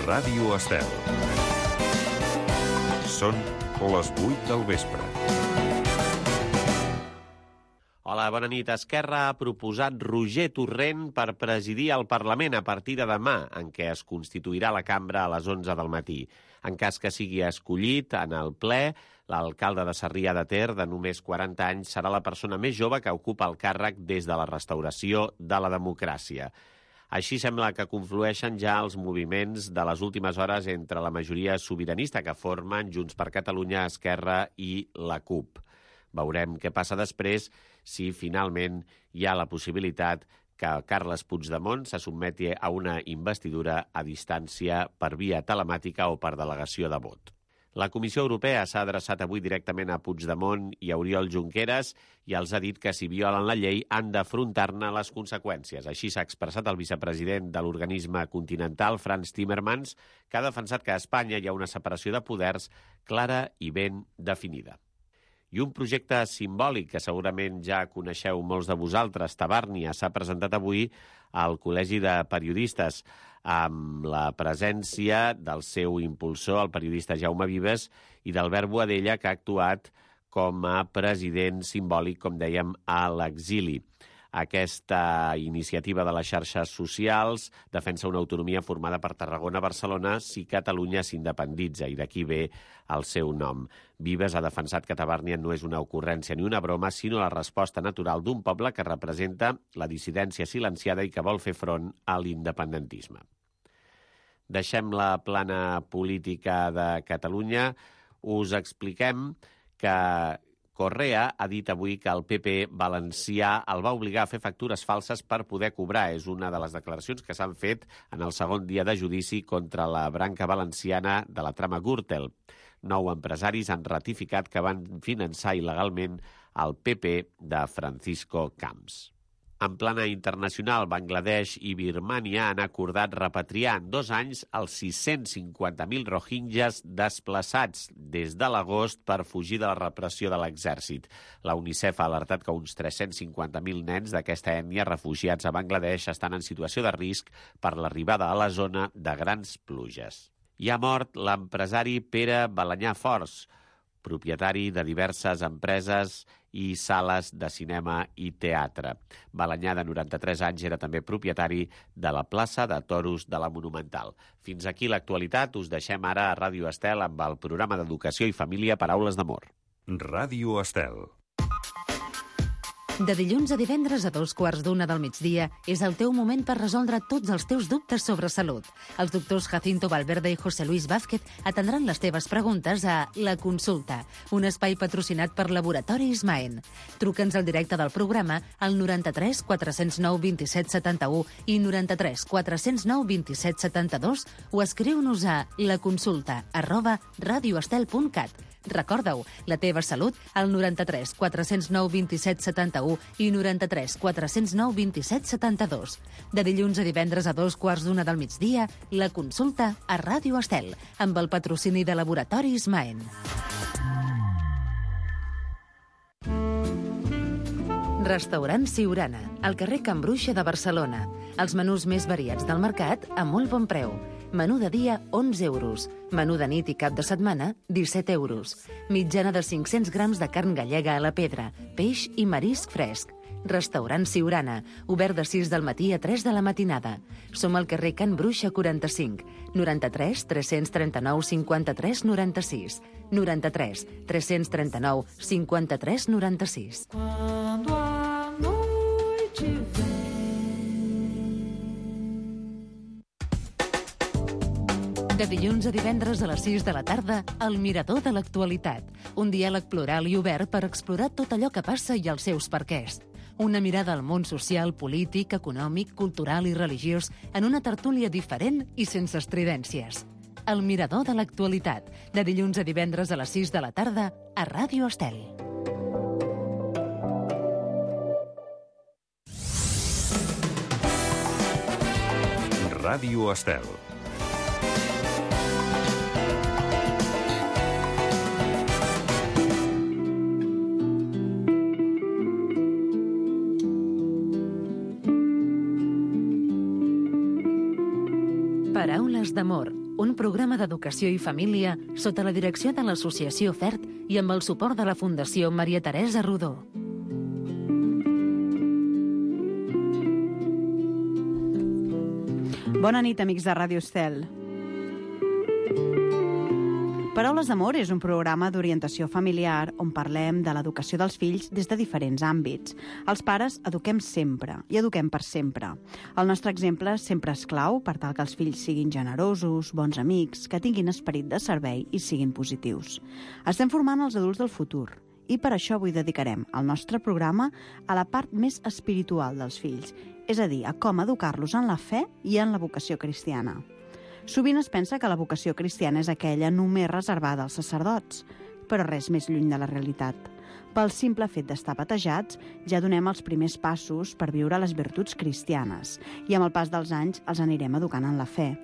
Ràdio Estel. Són les 8 del vespre. Hola, bona nit. Esquerra ha proposat Roger Torrent per presidir el Parlament a partir de demà, en què es constituirà la cambra a les 11 del matí. En cas que sigui escollit en el ple, l'alcalde de Sarrià de Ter, de només 40 anys, serà la persona més jove que ocupa el càrrec des de la restauració de la democràcia. Així sembla que conflueixen ja els moviments de les últimes hores entre la majoria sobiranista que formen Junts per Catalunya, Esquerra i la CUP. Veurem què passa després si finalment hi ha la possibilitat que Carles Puigdemont se sotmeti a una investidura a distància per via telemàtica o per delegació de vot. La Comissió Europea s'ha adreçat avui directament a Puigdemont i a Oriol Junqueras i els ha dit que si violen la llei han d'afrontar-ne les conseqüències. Així s'ha expressat el vicepresident de l'organisme continental, Frans Timmermans, que ha defensat que a Espanya hi ha una separació de poders clara i ben definida. I un projecte simbòlic que segurament ja coneixeu molts de vosaltres, Tabàrnia, s'ha presentat avui al Col·legi de Periodistes amb la presència del seu impulsor, el periodista Jaume Vives, i d'Albert Boadella, que ha actuat com a president simbòlic, com dèiem, a l'exili. Aquesta iniciativa de les xarxes socials defensa una autonomia formada per Tarragona, Barcelona, si Catalunya s'independitza, i d'aquí ve el seu nom. Vives ha defensat que Tabàrnia no és una ocurrència ni una broma, sinó la resposta natural d'un poble que representa la dissidència silenciada i que vol fer front a l'independentisme. Deixem la plana política de Catalunya. Us expliquem que Correa ha dit avui que el PP valencià el va obligar a fer factures falses per poder cobrar. És una de les declaracions que s'han fet en el segon dia de judici contra la branca valenciana de la trama Gürtel. 9 empresaris han ratificat que van finançar il·legalment el PP de Francisco Camps. En plana internacional, Bangladesh i Birmània han acordat repatriar en 2 anys els 650.000 rohingyes desplaçats des de l'agost per fugir de la repressió de l'exèrcit. La UNICEF ha alertat que uns 350.000 nens d'aquesta ètnia refugiats a Bangladesh estan en situació de risc per l'arribada a la zona de grans pluges. I ha mort l'empresari Pere Balanyà Fors, propietari de diverses empreses i sales de cinema i teatre. Balanyà, de 93 anys, era també propietari de la plaça de Toros de la Monumental. Fins aquí l'actualitat. Us deixem ara a Ràdio Estel amb el programa d'Educació i Família Paraules d'Amor. Ràdio Estel. De dilluns a divendres a 2:15 del migdia és el teu moment per resoldre tots els teus dubtes sobre salut. Els doctors Jacinto Valverde i José Luis Vázquez atendran les teves preguntes a La Consulta, un espai patrocinat per Laboratori Ismaen. Truca'ns al directe del programa al 93 409 27 71 i 93 409 27 72 o escriu-nos a laconsulta@radioestel.cat. Recorda-ho, la teva salut al 93 409 27 71 i 93 409 27 72. De dilluns a divendres a 2:15 del migdia, La Consulta a Ràdio Estel, amb el patrocini de Laboratori Ismaen. Restaurant Siurana, al carrer Can Bruixa de Barcelona. Els menús més variats del mercat a molt bon preu. Menú de dia, 11 euros. Menú de nit i cap de setmana, 17 euros. Mitjana de 500 grams de carn gallega a la pedra, peix i marisc fresc. Restaurant Siurana, obert de 6 del matí a 3 de la matinada. Som al carrer Can Bruixa 45, 93 339 53 96, 93 339 53 96. De dilluns a divendres a les 6 de la tarda, El Mirador de l'Actualitat. Un diàleg plural i obert per explorar tot allò que passa i els seus perquès. Una mirada al món social, polític, econòmic, cultural i religiós en una tertúlia diferent i sense estridències. El Mirador de l'Actualitat. De dilluns a divendres a les 6 de la tarda a Ràdio Estel. Ràdio Estel. Paraules d'amor, un programa d'educació i família sota la direcció de l'Associació FERT i amb el suport de la Fundació Maria Teresa Rodó. Bona nit, amics de Ràdio Estel. Paraules d'amor és un programa d'orientació familiar on parlem de l'educació dels fills des de diferents àmbits. Els pares eduquem sempre i eduquem per sempre. El nostre exemple sempre és clau per tal que els fills siguin generosos, bons amics, que tinguin esperit de servei i siguin positius. Estem formant els adults del futur i per això avui dedicarem el nostre programa a la part més espiritual dels fills, és a dir, a com educar-los en la fe i en la vocació cristiana. Sovint es pensa que la vocació cristiana és aquella només reservada als sacerdots, però res més lluny de la realitat. Pel simple fet d'estar batejats, ja donem els primers passos per viure les virtuts cristianes i amb el pas dels anys els anirem educant en la fe,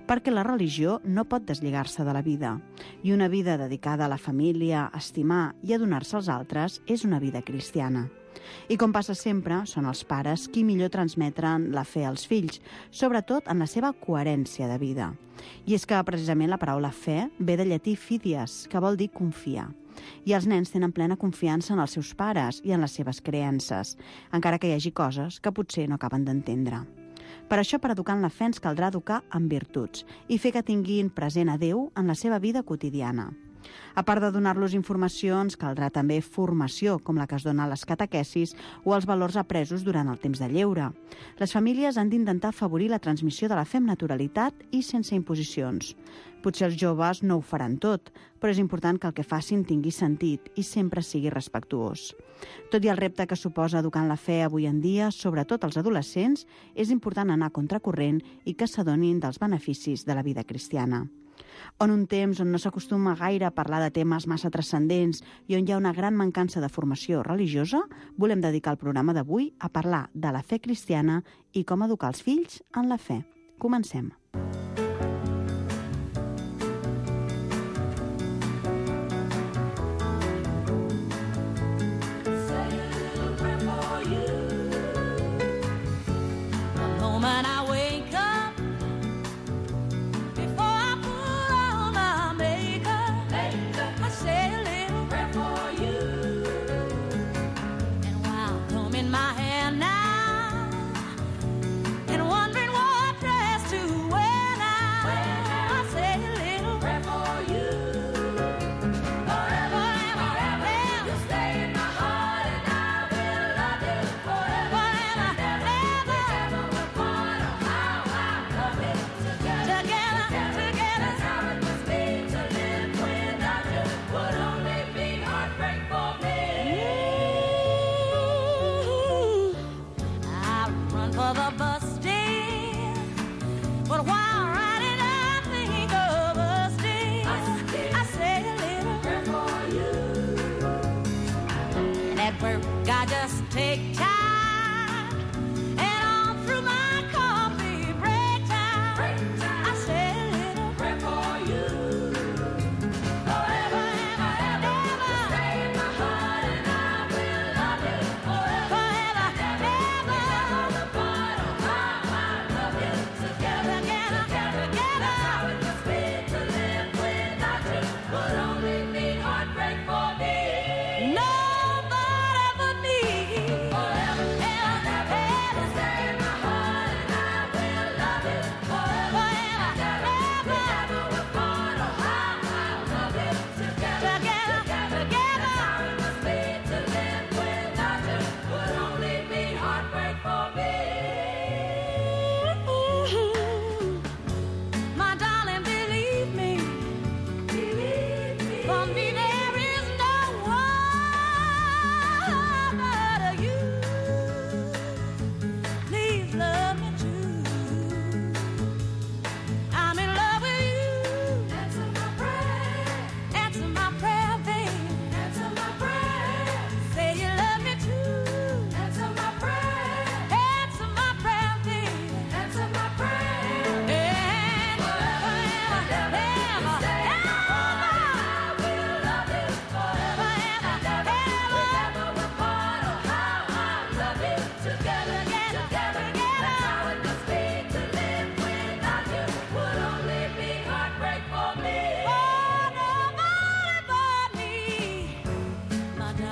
perquè la religió no pot deslligar-se de la vida i una vida dedicada a la família, a estimar i a donar-se als altres és una vida cristiana. I com passa sempre, són els pares qui millor transmetren la fe als fills, sobretot en la seva coherència de vida. I és que precisament la paraula fe ve de llatí fidies, que vol dir confiar. I els nens tenen plena confiança en els seus pares i en les seves creences, encara que hi hagi coses que potser no acaben d'entendre. Per això, per educar en la fe, ens caldrà educar en virtuts i fer que tinguin present a Déu en la seva vida quotidiana. A part de donar-los informacions, caldrà també formació, com la que es dona a les catequesis o els valors apresos durant el temps de lleure. Les famílies han d'intentar afavorir la transmissió de la fe amb naturalitat i sense imposicions. Potser els joves no ho faran tot, però és important que el que facin tingui sentit i sempre sigui respectuós. Tot i el repte que suposa educar en la fe avui en dia, sobretot els adolescents, és important anar a contracorrent i que s'adonin dels beneficis de la vida cristiana. En un temps on no s'acostuma gaire a parlar de temes massa transcendents i on hi ha una gran mancança de formació religiosa, volem dedicar el programa d'avui a parlar de la fe cristiana i com educar els fills en la fe. Comencem. Together.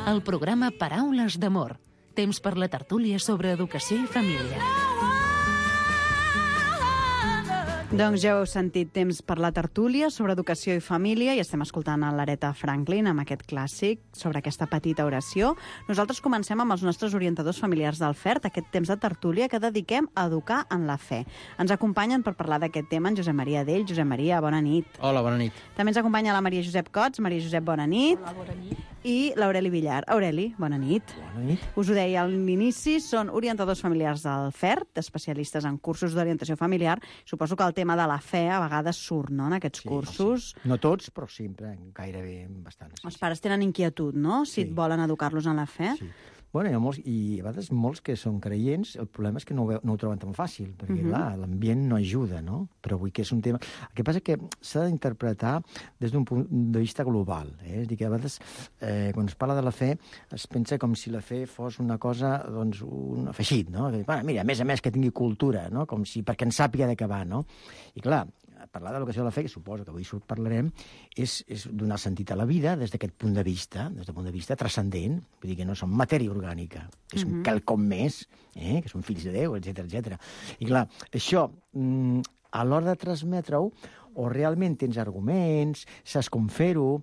el programa Paraules d'Amor. Temps per la tertúlia sobre educació i família. Doncs ja heu sentit, temps per la tertúlia sobre educació i família, i estem escoltant a l'Aretha Franklin amb aquest clàssic sobre aquesta petita oració. Nosaltres comencem amb els nostres orientadors familiars del FERT, aquest temps de tertúlia que dediquem a educar en la fe. Ens acompanyen per parlar d'aquest tema en Josep Maria Dell. Josep Maria, bona nit. Hola, bona nit. També ens acompanya la Maria Josep Cots. Maria Josep, bona nit. Hola, bona nit. I l'Aureli Villar. Aureli, bona nit. Bona nit. Us ho deia a l'inici, són orientadors familiars del FERT, especialistes en cursos d'orientació familiar. Suposo que el tema de la fe a vegades surt, no?, en aquests cursos. Sí. No tots, però sempre, gairebé bastant. Els pares tenen inquietud, no?, si volen educar-los en la fe. Sí. Bueno, hi ha molts, i a vegades molts que són creients, el problema és que no ho troben tan fàcil, perquè, clar, l'ambient no ajuda, no? Però vull que és un tema... El que passa que s'ha d'interpretar des d'un punt de vista global, És a dir, que a vegades, quan es parla de la fe, es pensa com si la fe fos una cosa, doncs, un afegit, no? Bueno, mira, a més que tingui cultura, no? Com si perquè en sàpiga de què va, no? I, clar, parlar de l'educació de la fe, que suposo que avui parlarem, és donar sentit a la vida des d'aquest punt de vista transcendent, vull dir que no som matèria orgànica, que som quelcom més, que som fills de Déu, etc. I clar, això, a l'hora de transmetre-ho, o realment tens arguments, saps com fer-ho,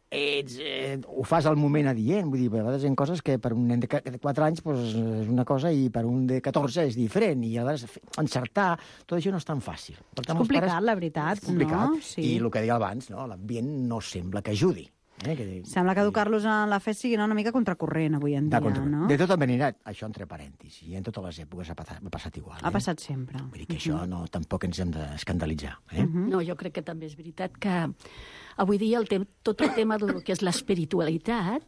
ho fas al moment adient, vull dir, a vegades hi ha coses que per un nen de 4 anys és una cosa i per un de 14 és diferent, i a vegades encertar, tot això no és tan fàcil. És complicat, la veritat, és complicat, no? Sí. I el que deia abans, no? L'ambient no sembla que ajudi. Sembla que educar-los en la fe sigui una mica contracorrent avui en dia, no? De tota manera, això entre parèntesis, i en totes les èpoques ha passat igual. Ha passat sempre. Vull dir que això tampoc ens hem d'escandalitzar. No, jo crec que també és veritat que avui dia tot el tema del que és l'espiritualitat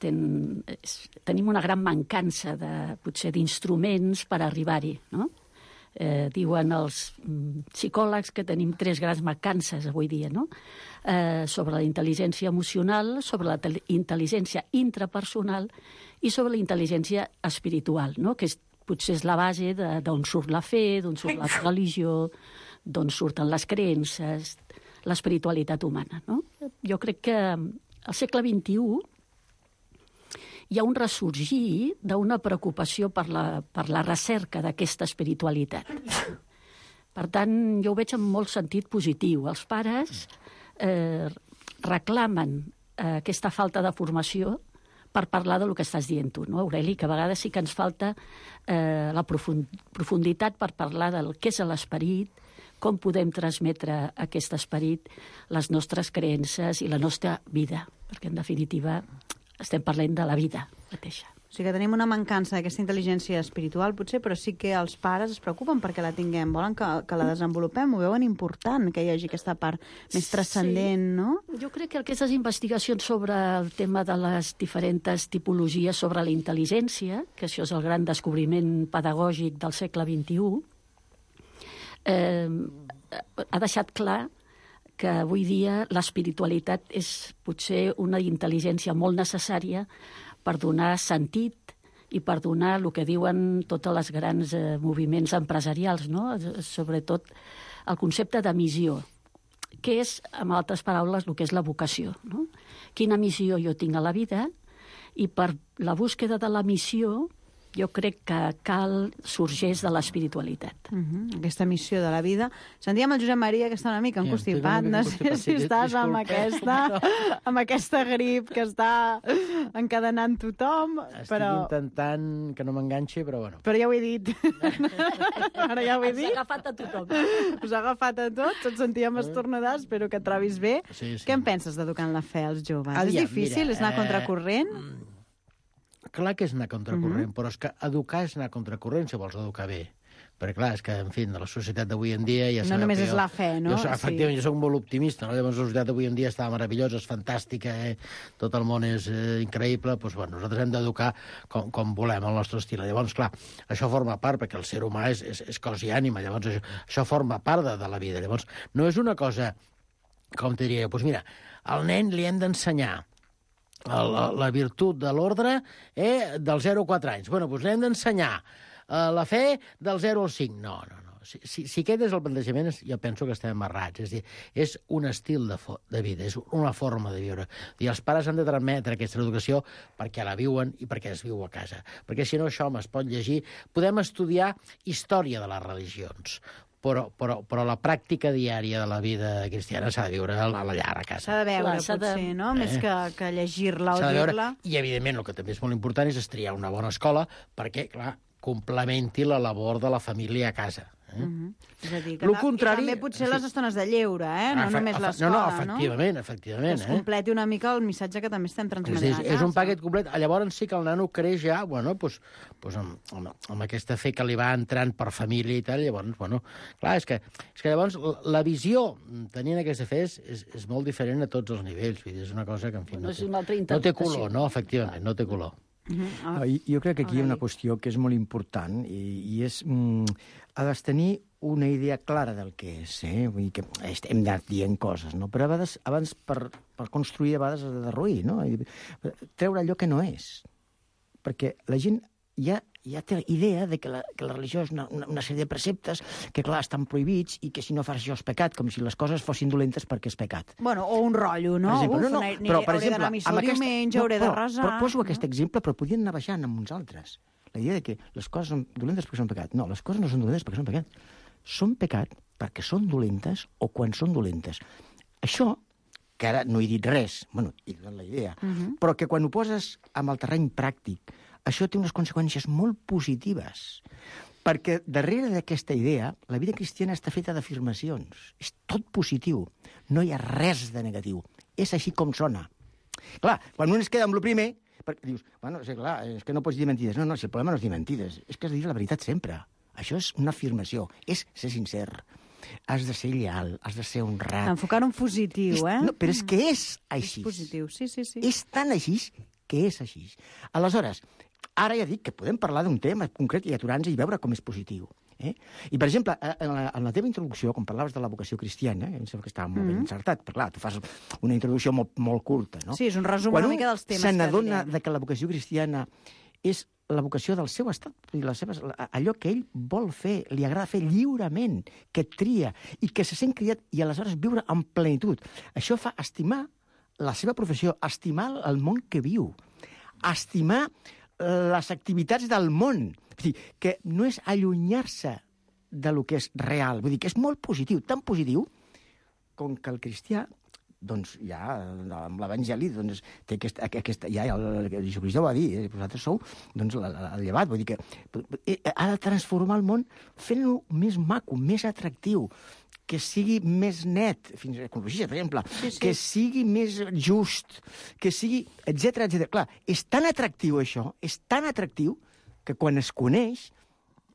tenim una gran mancança potser d'instruments per arribar-hi, no? Diuen els psicòlegs que tenim 3 grans mancances avui dia, no? Sobre la intel·ligència emocional, sobre la intel·ligència intrapersonal i sobre la intel·ligència espiritual, no? Que potser és la base d'on surt la fe, d'on surt la religió, d'on surten les creences, l'espiritualitat humana, no? Jo crec que al segle XXI hi ha un ressorgir d'una preocupació per la recerca d'aquesta espiritualitat. Per tant, jo ho veig en molt sentit positiu. Els pares reclamen aquesta falta de formació per parlar del que estàs dient tu, no, Aureli? Que a vegades sí que ens falta la profunditat per parlar del què és l'esperit, com podem transmetre aquest esperit, les nostres creences i la nostra vida, perquè en definitiva estem parlant de la vida mateixa. O sigui que tenim una mancança d'aquesta intel·ligència espiritual, potser, però sí que els pares es preocupen perquè la tinguem, volen que la desenvolupem, ho veuen important, que hi hagi aquesta part més transcendent, no? Jo crec que aquestes investigacions sobre el tema de les diferents tipologies sobre la intel·ligència, que això és el gran descobriment pedagògic del segle XXI, ha deixat clar que avui dia l'espiritualitat és potser una intel·ligència molt necessària per donar sentit i per donar el que diuen tots els grans moviments empresarials, no? Sobretot el concepte de missió, que és, en altres paraules, el que és la vocació, no? Quina missió jo tinc a la vida, i per la búsqueda de la missió jo crec que sorgeix de l'espiritualitat. Aquesta missió de la vida. Sentíem el Josep Maria, que està una mica encostipat. No sé si estàs amb aquesta grip que està encadenant tothom. Estic intentant que no m'enganxi, però bueno. Però ja ho he dit. Ara ja ho he dit. Us ha agafat a tothom. Us ha agafat a tots, ens sentíem estornudar, espero que et trobis bé. Sí. Què en penses d'educar en la fe als joves? És difícil? És anar contracorrent? Clar que és anar contracorrent, però és que educar és anar contracorrent si vols educar bé. Perquè, clar, és que, en fi, de la societat d'avui en dia... Ja no només és la fe, no? Efectivament, jo soc molt optimista, no? Llavors, la societat d'avui en dia està meravellosa, és fantàstica, tot el món és increïble, doncs, bueno, nosaltres hem d'educar com volem, el nostre estil. Llavors, clar, això forma part, perquè el ser humà és cos i ànima, llavors això forma part de la vida. Llavors, no és una cosa, com te diria, doncs mira, al nen li hem d'ensenyar la virtut de l'ordre del 0 a 4 anys. Bueno, doncs l'hem d'ensenyar la fe del 0 al 5. No. Si aquest és el plantejament, jo penso que estem errats. És a dir, és un estil de vida, és una forma de viure. I els pares han de transmetre aquesta educació perquè la viuen i perquè es viu a casa. Perquè si no, això home, es pot llegir. Podem estudiar història de les religions, però la pràctica diària de la vida cristiana s'ha de viure a la llar, a casa. S'ha de veure, Clar, s'ha de- potser, no? Més que llegir-la o S'ha de veure. dir-la. I, evidentment, el que també és molt important és triar una bona escola perquè, clar, complementi la labor de la família a casa. És a dir, que Lo contrari- i també potser les estones de lleure, no només l'escola, No, efectivament. Que es completi una mica el missatge que també estem transmetent a casa. És un paquet complet. Llavors sí que el nano creix ja, bueno, pues amb aquesta fe que li va entrant per família i tal, llavors, bueno, clar, és que llavors la visió tenint aquesta fe és molt diferent a tots els nivells, vull dir, és una cosa que, en fi, Bueno, és una altra no té interpretació. color, no, efectivament, no té color. No, jo crec que aquí hi ha una qüestió que és molt important i és... ha de tenir una idea clara del que és, Vull dir que hem anat dient coses, no? Però a vegades, abans per construir, a vegades has de derruir, no? I treure allò que no és. Perquè la gent ja té idea de que la religió és una sèrie de preceptes que, clar, estan prohibits i que si no fas això és pecat, com si les coses fossin dolentes perquè és pecat. Bueno, o un rotllo, no? Per exemple, Hauré d'anar a missa el diumenge, hauré de resar... Però poso aquest exemple, però podien anar baixant amb uns altres. La idea de que les coses són dolentes perquè són pecat. No, les coses no són dolentes perquè són pecat. Són pecat perquè són dolentes o quan són dolentes. Això, que ara no he dit res, bueno, he donat la idea, però que quan ho poses amb el terreny pràctic, això té unes conseqüències molt positives. Perquè darrere d'aquesta idea, la vida cristiana està feta d'afirmacions. És tot positiu. No hi ha res de negatiu. És així com sona. Clar, quan un es queda amb el primer, perquè dius, bueno, és clar, és que no pots dir mentides. No, si el problema no és dir mentides, és que has de dir la veritat sempre. Això és una afirmació, és ser sincer. Has de ser lleal, has de ser honrat. Enfocar un positiu, No, però és que és així. És positiu, sí. És tan així que és així. Aleshores, ara ja dic que podem parlar d'un tema concret i aturar-nos i veure com és positiu. I, per exemple, en la teva introducció, quan parlaves de la vocació cristiana, em sembla que estava molt ben encertat, però clar, tu fas una introducció molt curta, no? Sí, és un resum una mica dels temes se que n'adona direm. de que la vocació cristiana és la vocació del seu estat, allò que ell vol fer, li agrada fer lliurement, que tria i que se sent cridat i aleshores viure en plenitud. Això fa estimar la seva professió, estimar el món que viu, estimar les activitats del món. Vull dir, que no és allunyar-se de lo que és real. Vull dir que és molt positiu, tan positiu com que el cristià, doncs ja amb l'Evangeli doncs, té aquesta ja el Jesucrist ho va dir, vosaltres sou doncs, el llevat, vull dir que ha de transformar el món fent-lo més maco, més atractiu, que sigui més net, fins a ecologia, per exemple, que sigui més just, que sigui, etc. Clar, és tan atractiu això, és tan atractiu que quan es coneix,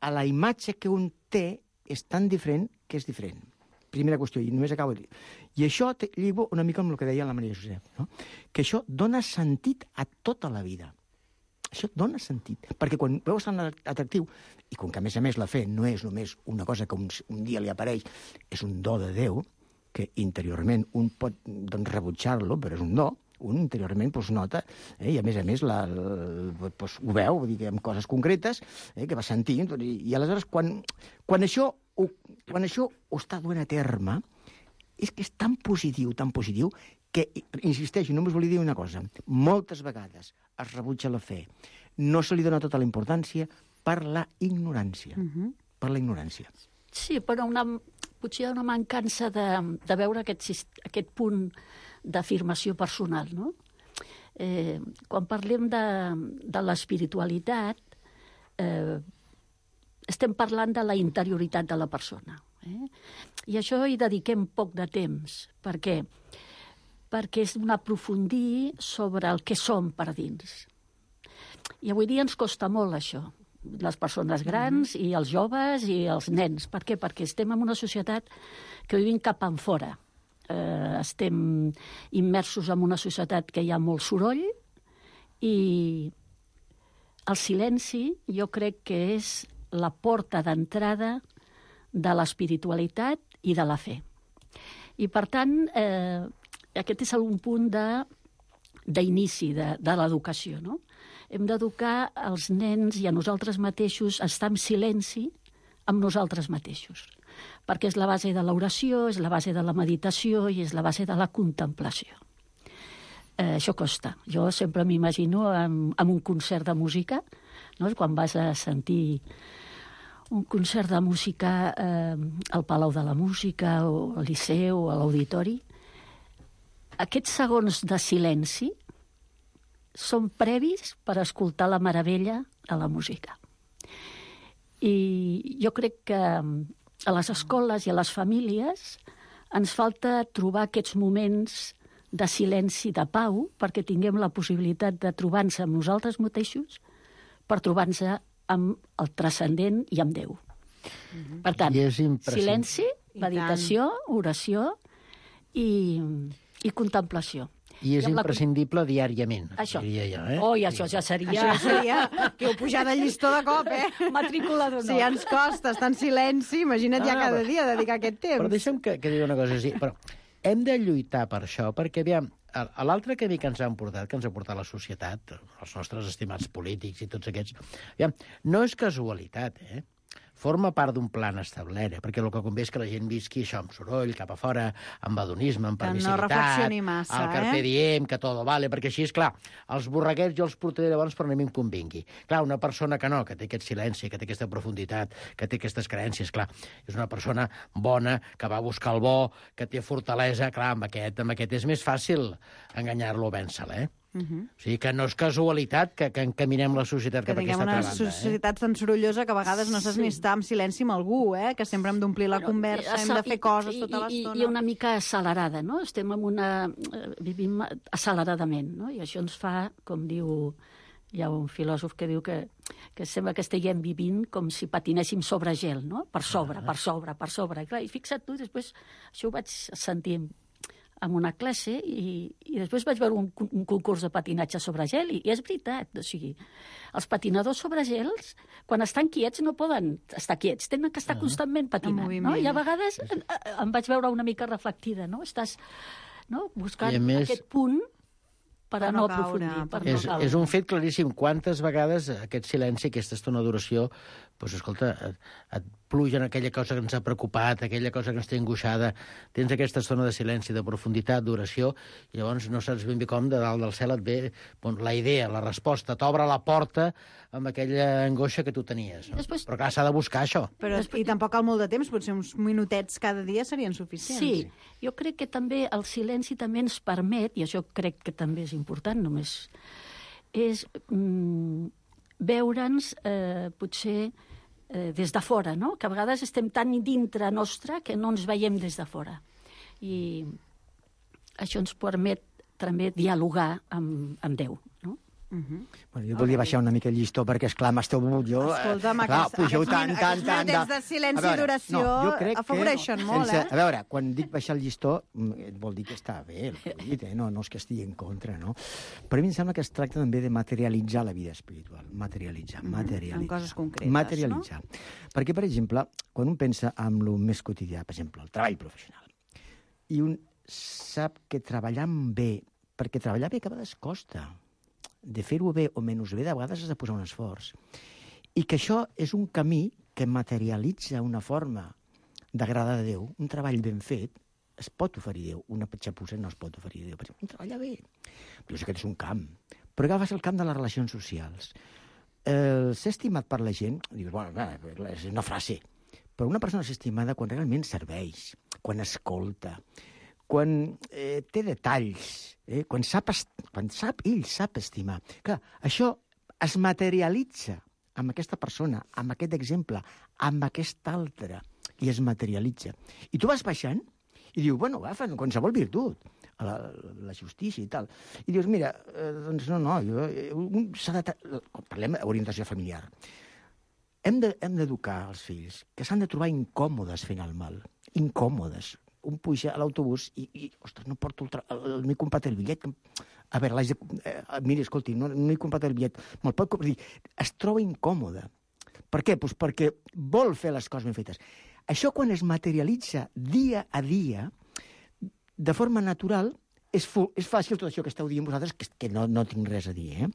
a la imatge que un té és tan diferent que és diferent. Primera qüestió, i només acabo de dir. I això lligo una mica amb el que deia la Maria Josep, no? Que això dona sentit a tota la vida. Això dona sentit. Perquè quan veus tan atractiu, i com que a més la fe no és només una cosa que un dia li apareix, és un do de Déu, que interiorment un pot doncs, rebutjar-lo, però és un do, un interiorment doncs, nota, i a més doncs, ho veu, vull dir que amb coses concretes, que va sentint, i aleshores quan això ho està duent a terme, és que és tan positiu, que, insisteixo, només volia dir una cosa, moltes vegades es rebutja la fe, no se li dona tota la importància per la ignorància. Per la ignorància. Sí, però potser hi ha una mancança de veure aquest punt d'afirmació personal, no? Quan parlem de l'espiritualitat, estem parlant de la interioritat de la persona. I això hi dediquem poc de temps. Per què? Perquè és un aprofundir sobre el que som per dins. I avui dia ens costa molt això, les persones grans i els joves i els nens. Per què? Perquè estem en una societat que vivim cap enfora. Estem immersos en una societat que hi ha molt soroll i el silenci jo crec que és la porta d'entrada de l'espiritualitat i de la fe. I, per tant, aquest és un punt d'inici de l'educació, no? Hem d'educar els nens i a nosaltres mateixos a estar en silenci amb nosaltres mateixos, perquè és la base de l'oració, és la base de la meditació i és la base de la contemplació. Això costa. Jo sempre m'imagino en un concert de música, no? Quan vas a sentir un concert de música al Palau de la Música o al Liceu o a l'Auditori, aquests segons de silenci són previs per escoltar la meravella de la música. I jo crec que a les escoles i a les famílies ens falta trobar aquests moments de silenci, de pau, perquè tinguem la possibilitat de trobar-nos amb nosaltres mateixos per trobar-nos amb el transcendent i amb Déu. Per tant, silenci, meditació, oració i contemplació. I és imprescindible diàriament, això. Diria jo. Oh, i això ja seria... Això seria que heu pujat el llistó de cop, Matrícula d'honor. Si ja ens costa estar en silenci, imagina't ja cada dia dedicar aquest temps. Però deixa'm que digui una cosa. Sí, però hem de lluitar per això, perquè, aviam, a l'altre camí que ens han portat, que ens ha portat la societat, els nostres estimats polítics i tots aquests, aviam, no és casualitat, forma part d'un plan establert, perquè el que convé és que la gent visqui això amb soroll, cap a fora, amb hedonisme, amb permissivitat, no reflexioni massa, el carpe diem, que todo vale, perquè així, és clar, els borreguets jo els portaré llavors per on a mi em convingui. Clar, una persona que no, que té aquest silenci, que té aquesta profunditat, que té aquestes creences, clar, és una persona bona, que va buscar el bo, que té fortalesa, clar, amb aquest és més fàcil enganyar-lo o vèncer-lo, O sigui que no és casualitat que encaminem la societat cap a aquesta altra banda. Que tinguem una societat tan sorollosa que a vegades no saps ni estar en silenci amb algú, que sempre hem d'omplir la conversa, hem de fer coses tota l'estona. I una mica accelerada, no? Vivim acceleradament, no? I això ens fa, com diu... Hi ha un filòsof que diu que sembla que estiguem vivint com si patinéssim sobre gel, no? Per sobre. I fixa't tu, després això ho vaig sentir en una classe i després vaig veure un concurs de patinatge sobre gel i és veritat, o sigui, els patinadors sobre gels, quan estan quiets no poden estar quiets, tenen que estar constantment patinant, no? I a vegades em vaig veure una mica reflectida, no? Estàs buscant aquest punt per a no aprofundir, per no caure. És un fet claríssim. Quantes vegades aquest silenci, aquesta estona d'oració, doncs, escolta, et pluja en aquella cosa que ens ha preocupat, aquella cosa que ens té angoixada, tens aquesta estona de silenci, de profunditat, d'oració, i llavors no saps ben bé com de dalt del cel et ve la idea, la resposta, t'obre la porta amb aquella angoixa que tu tenies. No? Després... Però clar, s'ha de buscar això. I tampoc cal molt de temps, potser uns minutets cada dia serien suficients. Sí, jo crec que també el silenci també ens permet, i això crec que també és important, només és veure'ns potser des de fora, no? Que a vegades estem tan dintre nostre que no ens veiem des de fora. I això ens permet també dialogar amb Déu, no? Bueno, jo volia baixar una mica el llistó perquè, esclar, m'esteu begut jo... Escolta'm, pugeu tant... minutets de silenci i d'oració afavoreixen molt, A veure, quan dic baixar el llistó, vol dir que està bé, el que he dit, no és que estigui en contra, no? Però a mi em sembla que es tracta també de materialitzar la vida espiritual. Materialitzar. En coses concretes, materialitzar. Perquè, per exemple, quan un pensa en el més quotidià, per exemple, el treball professional, i un sap que treballant bé, perquè treballar bé a vegades costa, de fer-ho bé o menys bé, de vegades has de posar un esforç. I que això és un camí que materialitza una forma d'agradar a Déu. Un treball ben fet es pot oferir a Déu. Una petxapussa no es pot oferir a Déu. Per exemple, un treball bé. Però aquest és un camp. Però agafes el camp de les relacions socials. Ser estimat per la gent, dius, bueno, és una frase. Però una persona és estimada quan realment serveix, quan escolta, quan té detalls, quan ell sap estimar. Clar, això es materialitza amb aquesta persona, amb aquest exemple, amb aquest altre, i es materialitza. I tu vas baixant i dius, bueno, agafa qualsevol virtut, la justícia i tal. I dius, mira, doncs no, parlem d'orientació familiar. Hem d'educar els fills, que s'han de trobar incòmodes fent el mal, incòmodes. Un puja a l'autobús i ostres, no porto no he comprat el bitllet. A veure, mira, escolti, no he comprat el bitllet. Me'l pot comprar? Es troba incòmode. Per què? Doncs perquè vol fer les coses ben fetes. Això, quan es materialitza dia a dia, de forma natural, és fàcil tot això que esteu dient vosaltres, que no tinc res a dir,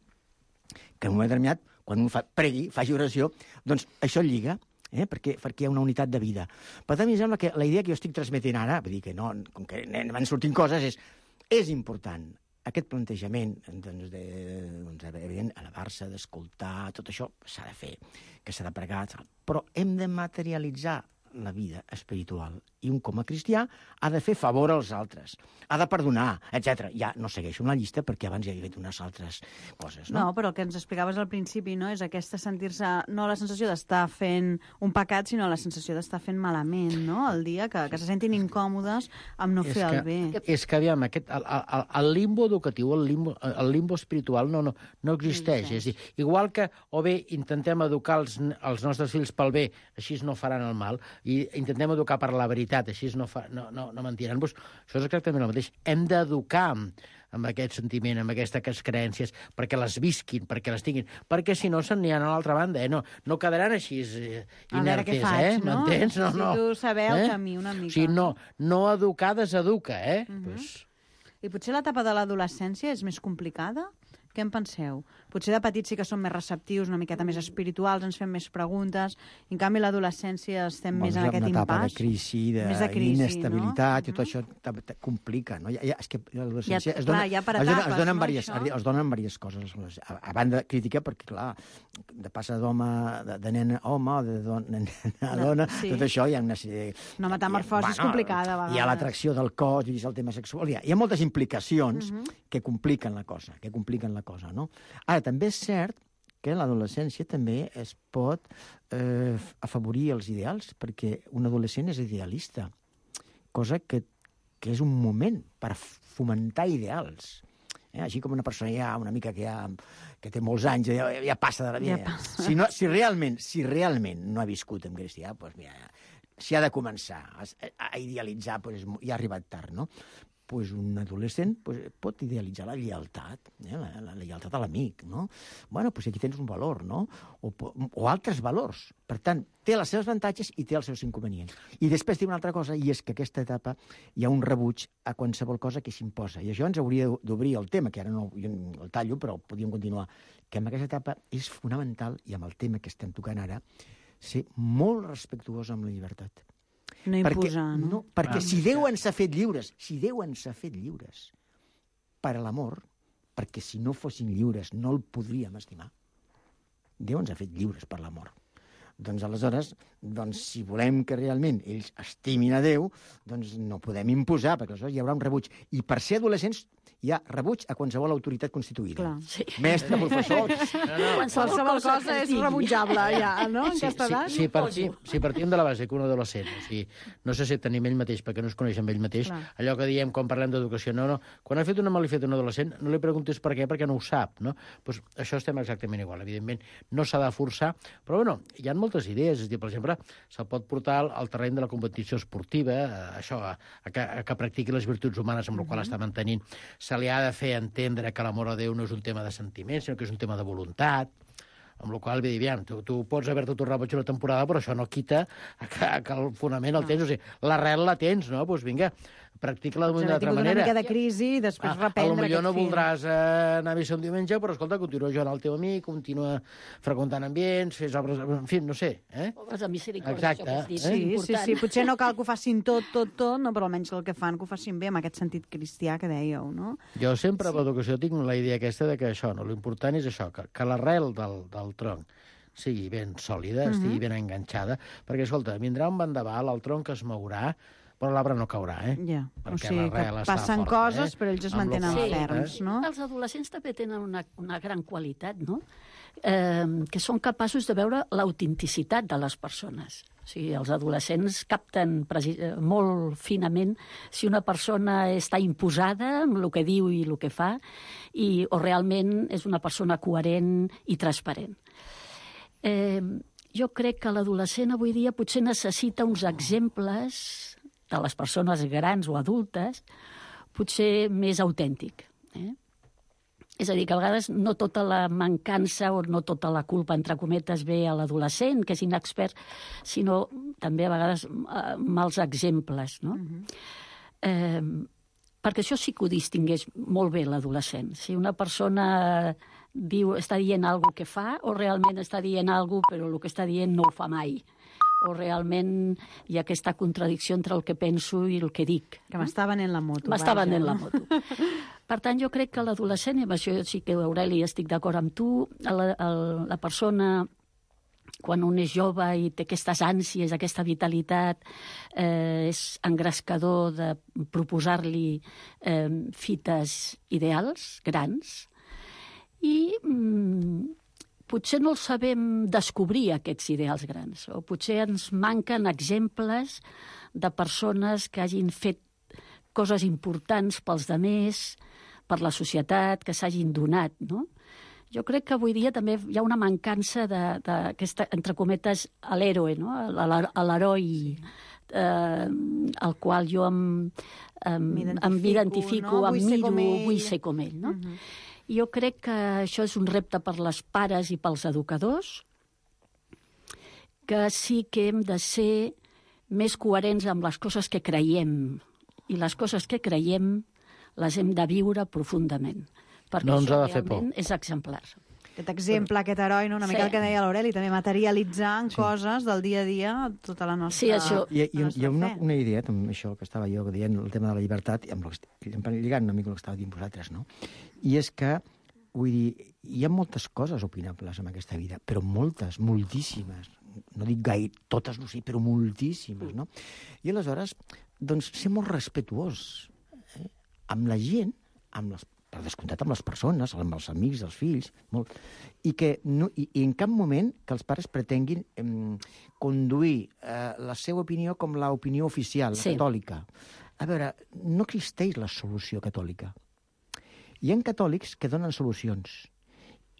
Que en un moment determinat, quan un pregui, faci oració, doncs això lliga. perquè hi ha una unitat de vida. Per tant, a mi em sembla que la idea que jo estic transmetent ara, vull dir que no, com que van sortint coses, és important aquest plantejament, evident, elevar-se, d'escoltar, tot això s'ha de fer, que s'ha de pregar, però hem de materialitzar la vida espiritual. I un, com a cristià, ha de fer favor als altres, ha de perdonar, etc. Ja no segueixo una llista perquè abans ja hi havia unes altres coses, no? No, però el que ens explicaves al principi, no?, és aquesta sentir-se, no la sensació d'estar fent un pecat, sinó la sensació d'estar fent malament, no?, el dia, que se sentin incòmodes amb no fer el bé. És que, aviam, el limbo educatiu, el limbo espiritual no existeix. És a dir, igual que o bé intentem educar els nostres fills pel bé, així no faran el mal, i intentem educar per la veritat, així no mentiran. Pues, això és exactament el mateix. Hem d'educar amb aquest sentiment, amb aquestes creences, perquè les visquin, perquè les tinguin, perquè si no se'n aniran a l'altra banda, no quedaran així inertes, a veure què faig, no? M'entens? No. Si tu saber el camí una mica. O sigui, no educar deseduca, I potser l'etapa de l'adolescència és més complicada? Què en penseu? Potser de petits sí que som més receptius, una miqueta més espirituals, ens fem més preguntes, en canvi a l'adolescència estem més en aquest impàs. Una etapa de crisi, d'inestabilitat, i tot això complica, no? És que l'adolescència es donen diverses coses. A banda crítica, perquè, clar, de passar d'home, de nen a home, de dona a dona, tot això hi ha una sèrie... Una metamorfosi complicada, a vegades. Hi ha l'atracció del cos, i el tema sexual, hi ha moltes implicacions que compliquen la cosa, no? Ara, també és cert que l'adolescència també es pot afavorir els ideals, perquè un adolescent és idealista, cosa que és un moment per fomentar ideals. Així com una persona ja una mica que té molts anys, ja passa de la vida. Si realment no ha viscut en cristià, doncs mira, si ha de començar a idealitzar, ja ha arribat tard, no? Un adolescent pot idealitzar la lleialtat, la lleialtat a l'amic, no? Bueno, aquí tens un valor, no? O altres valors. Per tant, té els seus avantatges i té els seus inconvenients. I després té una altra cosa, i és que aquesta etapa hi ha un rebuig a qualsevol cosa que s'imposa. I això ens hauria d'obrir el tema, que ara no el tallo, però podríem continuar, que en aquesta etapa és fonamental, i amb el tema que estem tocant ara, ser molt respectuós amb la llibertat. No imposar, no? Perquè si Déu ens ha fet lliures, per a l'amor, perquè si no fossin lliures no el podríem estimar. Déu ens ha fet lliures per l'amor. Doncs aleshores, si volem que realment ells estimin a Déu, doncs no podem imposar, perquè aleshores hi haurà un rebuig. I per ser adolescents hi ha rebuig a qualsevol autoritat constituïda. Clar, sí. Mestre, professor... Qualsevol cosa és rebutjable, ja, no? En aquesta edat. Si partim de la base que un adolescent, no se sent ni ell mateix, perquè no es coneix amb ell mateix, allò que diem quan parlem d'educació, quan ha fet una malifeta un adolescent, no li preguntis per què, perquè no ho sap, no? Doncs això estem exactament igual. Evidentment, no s'ha de forçar, però bueno, hi ha moltes idees. És a dir, per exemple, se'l pot portar al terreny de la competició esportiva, això, que practiqui les virtuts humanes amb el qual està mantenint. Se li ha de fer entendre que l'amor a Déu no és un tema de sentiments, sinó que és un tema de voluntat, amb la qual cosa, tu pots haver-te tornat boig una temporada, però això no quita que el fonament el tens, o sigui, l'arrel la tens, no? Doncs vinga, practica-la d'una altra manera. Una mica de crisi i després reprendre aquest fil. Potser no voldràs anar a missa un diumenge, però escolta, continua jugant al teu amic, continua freqüentant ambients, fes obres... En fi, no sé. O vas a misericòrdia, exacte. això que has dit. Sí. Potser no cal que ho facin tot, no, però almenys el que fan, que ho facin bé, amb aquest sentit cristià que dèieu, no? Jo sempre, a l'educació, tinc la idea aquesta de que això, l'important és això, que l'arrel del tronc sigui ben sòlida, estigui ben enganxada, perquè, escolta, vindrà un vendaval, el tronc es mourà, però l'arbre no caurà, Ja, o sigui, que passen coses, però ells es mantenen ferms, no? Els adolescents també tenen una gran qualitat, no? Que són capaços de veure l'autenticitat de les persones. O sigui, els adolescents capten molt finament si una persona està imposada amb el que diu i el que fa, o realment és una persona coherent i transparent. Jo crec que l'adolescent avui dia potser necessita uns exemples de les persones grans o adultes, potser més autèntic. És a dir, que a vegades no tota la mancança o no tota la culpa, entre cometes, ve a l'adolescent, que és inexpert, sinó també a vegades mals exemples, no? Perquè això sí que ho distingueix molt bé l'adolescent. Si una persona està dient alguna cosa que fa, o realment està dient alguna cosa, però el que està dient no ho fa mai. o realment hi ha aquesta contradicció entre el que penso i el que dic. Que m'està venent la moto. M'està vaja. venent la moto. Per tant, jo crec que l'adolescent, i amb això sí que, Aureli, estic d'acord amb tu, la persona, quan un és jove i té aquestes ànsies, aquesta vitalitat, és engrescador de proposar-li fites ideals, grans, i potser no els sabem descobrir, aquests ideals grans, o potser ens manquen exemples de persones que hagin fet coses importants pels demés, per la societat, que s'hagin donat, no? Jo crec que avui dia també hi ha una mancança d'aquesta, entre cometes, a l'héroe, no? A l'heroi, al qual jo m'identifico, no? em miro, vull ser com ell, no? Jo crec que això és un repte per les pares i pels educadors, que sí que hem de ser més coherents amb les coses que creiem. I les coses que creiem les hem de viure profundament. Perquè No ens això ha de fer por. realment és exemplar. Aquest exemple, aquest heroi, no? Una mica el que deia l'Aureli, també materialitzar en coses del dia a dia tota la nostra, Sí, això. Hi ha una idea, també, això que estava jo dient, el tema de la llibertat, amb lligant una mica el que estava dient vosaltres, no? I és que, vull dir, hi ha moltes coses opinables en aquesta vida, però moltes, moltíssimes. No dic gaire, totes no sé, però moltíssimes, no? I aleshores, doncs, ser molt respetuós amb la gent, per descomptat amb les persones, amb els amics, els fills, molt, i en cap moment que els pares pretenguin conduir la seva opinió com l'opinió oficial, Sí. catòlica. A veure, no existeix la solució catòlica. Hi ha catòlics que donen solucions,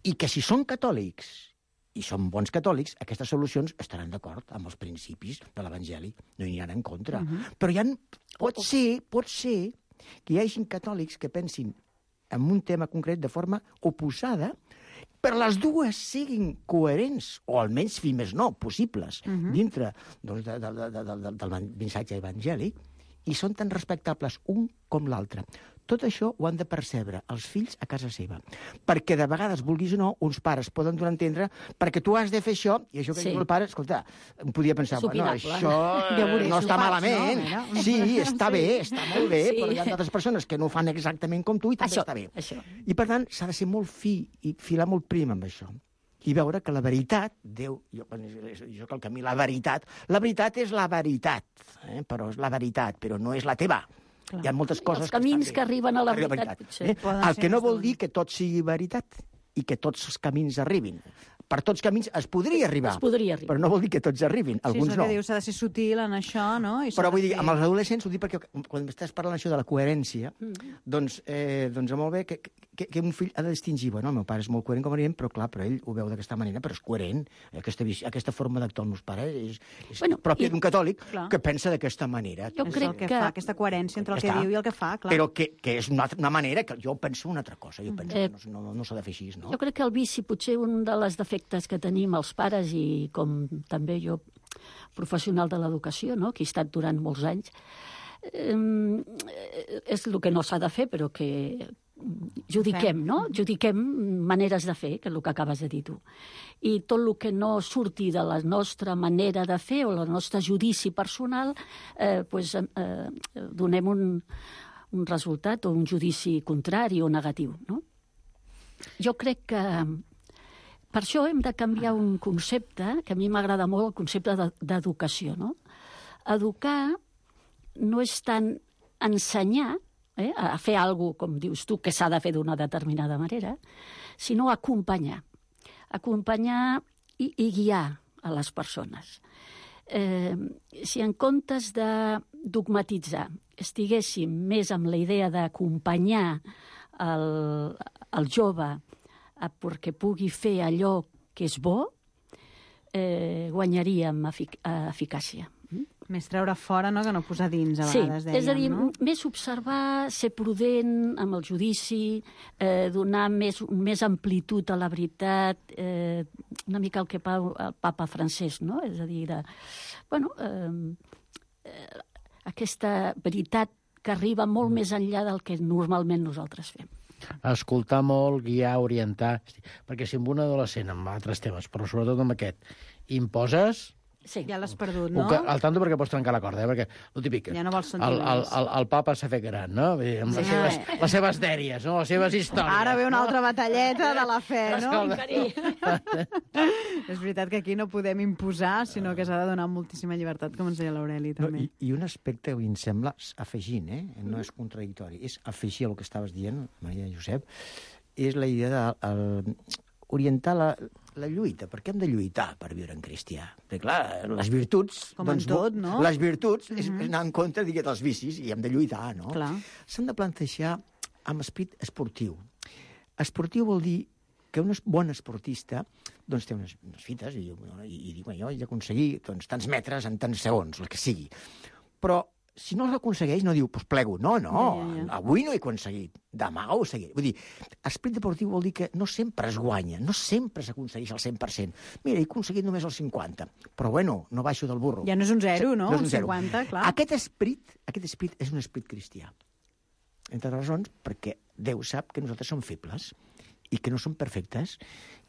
i que si són catòlics i són bons catòlics, aquestes solucions estaran d'acord amb els principis de l'Evangeli, no hi aniran en contra. Però pot ser que hi hagi catòlics que pensin en un tema concret de forma oposada, però les dues siguin coherents, o almenys, fins més no, possibles, dintre doncs, del missatge evangèlic, i són tan respectables un com l'altre. Tot això ho han de percebre els fills a casa seva. Perquè de vegades, vulguis o no, uns pares poden donar a entendre perquè tu has de fer això, i això que diu el pare, escolta, em podia pensar, És opinable. això no està malament. no? Sí, està bé, està molt bé, Sí. però hi ha d'altres persones que no ho fan exactament com tu i també està bé. Això. I, per tant, s'ha de ser molt fi i filar molt prim amb això. I veure que la veritat, jo que el camí, la veritat és la veritat, però és la veritat, però no és la teva. Hi ha moltes coses Els camins estan bé. que arriben a la veritat, potser. El que no vol dir que tot sigui veritat i que tots els camins arribin. Per tots camins es podria arribar, Es podria arribar. però no vol dir que tots arribin, Sí, alguns és el no. que diu, s'ha de ser sutil en això, no? I s'ha Però de vull dir, fer- amb els adolescents, ho dic perquè quan estàs parlant això de la coherència, doncs molt bé que un fill ha de distingir, bueno, el meu pare és molt coherent com a dient, però clar, però ell ho veu d'aquesta manera, però és coherent. Aquesta forma d'actuar els meus pares és pròpia d'un catòlic que pensa d'aquesta manera. Jo És crec el que que... fa, aquesta coherència entre el que diu i el que fa, clar. Però que és una manera que jo penso una altra cosa. Jo penso que no s'ha de fer així, no? Jo crec que el vici, potser un dels defectes que tenim els pares i com també jo, professional de l'educació, no? Que he estat durant molts anys, és el que no s'ha de fer, però que judiquem, no? Judiquem maneres de fer, que és el que acabes de dir tu. I tot el que no surti de la nostra manera de fer o el nostre judici personal, donem un resultat o un judici contrari o negatiu, no? Jo crec que per això hem de canviar un concepte, que a mi m'agrada molt, el concepte d'educació, no? Educar no és tant ensenyar a fer alguna cosa, com dius tu, que s'ha de fer d'una determinada manera, sinó acompanyar. Acompanyar i guiar a les persones. Si en comptes de dogmatitzar estiguéssim més amb la idea d'acompanyar el jove perquè pugui fer allò que és bo, guanyaríem eficàcia. Més treure fora, no?, que no posar dins, a vegades, dèiem, és a dir, no? més observar, ser prudent amb el judici, donar més amplitud a la veritat, una mica el que fa el papa Francesc, no? És a dir, aquesta veritat que arriba molt més enllà del que normalment nosaltres fem. Escoltar molt, guiar, orientar... Perquè si amb un adolescent, amb altres temes, però sobretot amb aquest, imposes, Sí. Ja l'has perdut, no? Al tanto perquè pots trencar la corda, perquè el típic... Ja no vols sentir més. El papa s'ha fet gran, no? Vull dir, amb les seves dèries, no? Les seves històries. Ara ve una altra batalleta de la fe, no? Escolta. És veritat que aquí no podem imposar, sinó que s'ha de donar moltíssima llibertat, com ens deia l'Aureli, No, també. i un aspecte que a mi em sembla, afegint, no és contradictori, és afegir el que estaves dient, Maria Josep, és la idea d'orientar la lluita. Per què hem de lluitar per viure en cristià? Perquè, clar, les virtuts... Com en tot, no? Les virtuts és anar en contra, dels vicis, i hem de lluitar, no? Clar. S'han de plantejar amb esperit esportiu. Esportiu vol dir que un bon esportista doncs, té unes fites i diu, jo he d'aconseguir tants metres en tants segons, el que sigui. Però si no l'aconsegueix, no diu, doncs plego. No, avui no he aconseguit, demà ho seguiré. Vull dir, esperit deportiu vol dir que no sempre es guanya, no sempre s'aconsegueix al 100%. Mira, he aconseguit només el 50%, però bueno, no baixo del burro. Ja no és un 0, no? No és un 0. 50, clar. Aquest esperit és un esperit cristià. Entre les raons, perquè Déu sap que nosaltres som febles i que no som perfectes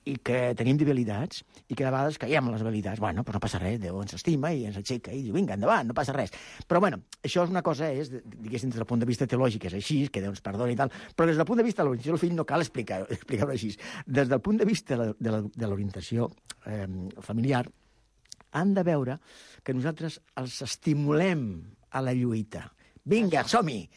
i que tenim debilitats i que de vegades caiem en les debilitats. Bueno, però no passa res, Déu ens estima i ens aixeca i diu, vinga, endavant, no passa res. Però bueno, això és una cosa, diguéssim, des del punt de vista teològic és així, que Déu ens perdoni i tal, però des del punt de vista de l'orientació del fill no cal explicar-ho així. Des del punt de vista de l'orientació familiar, han de veure que nosaltres els estimulem a la lluita. Vinga, som-hi,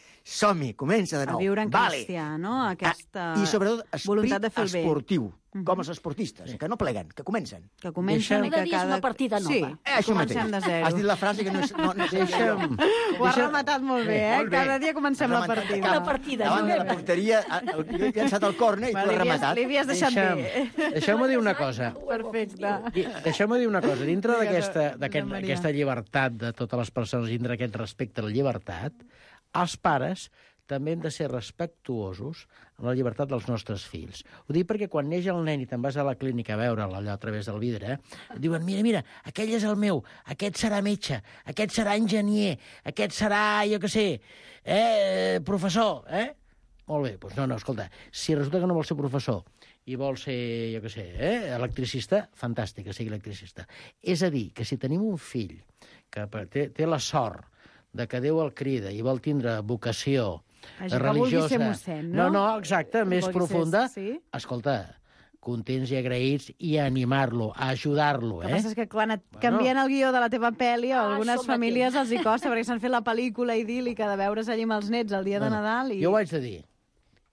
comença de nou. A viure en cristià, no? Aquesta I sobretot voluntat de fer el bé. esportiu, com els esportistes, que no pleguen, que comencen. Que comencen i que és una partida nova. Sí, Això mateix. comencem de zero. Has dit la frase que no és... Ho has rematat molt bé, Molt bé. Cada dia comencem la partida. Una partida Davant de la nova. porteria, jo he llançat el córner i tu l'has rematat. Li havies deixat bé. Deixeu-me dir una cosa. Perfecte. Deixeu-me dir una cosa. Dintre Maria. d'aquesta llibertat de totes les persones, dintre aquest respecte a la llibertat, els pares també hem de ser respectuosos amb la llibertat dels nostres fills. Ho dic perquè quan neix el nen i te'n vas a la clínica a veure'l allò a través del vidre, et diuen, mira, aquell és el meu, aquest serà metge, aquest serà enginyer, aquest serà, jo què sé, professor, Molt bé, doncs no, escolta, si resulta que no vol ser professor i vol ser, jo què sé, electricista, fantàstic que sigui electricista. És a dir, que si tenim un fill que té la sort de que Déu el crida i vol tindre vocació Això que religiosa... vulgui ser mossèn, no? No, exacte, més Vulgui profunda. sí? Escolta, contents i agraïts i a animar-lo, a ajudar-lo, El que passa és que quan et canvien el guió de la teva pel·li, a algunes això famílies els hi costa, perquè s'han fet la pel·lícula idíl·lica de veure's allí amb els nets el dia de Nadal i Jo ho haig de dir.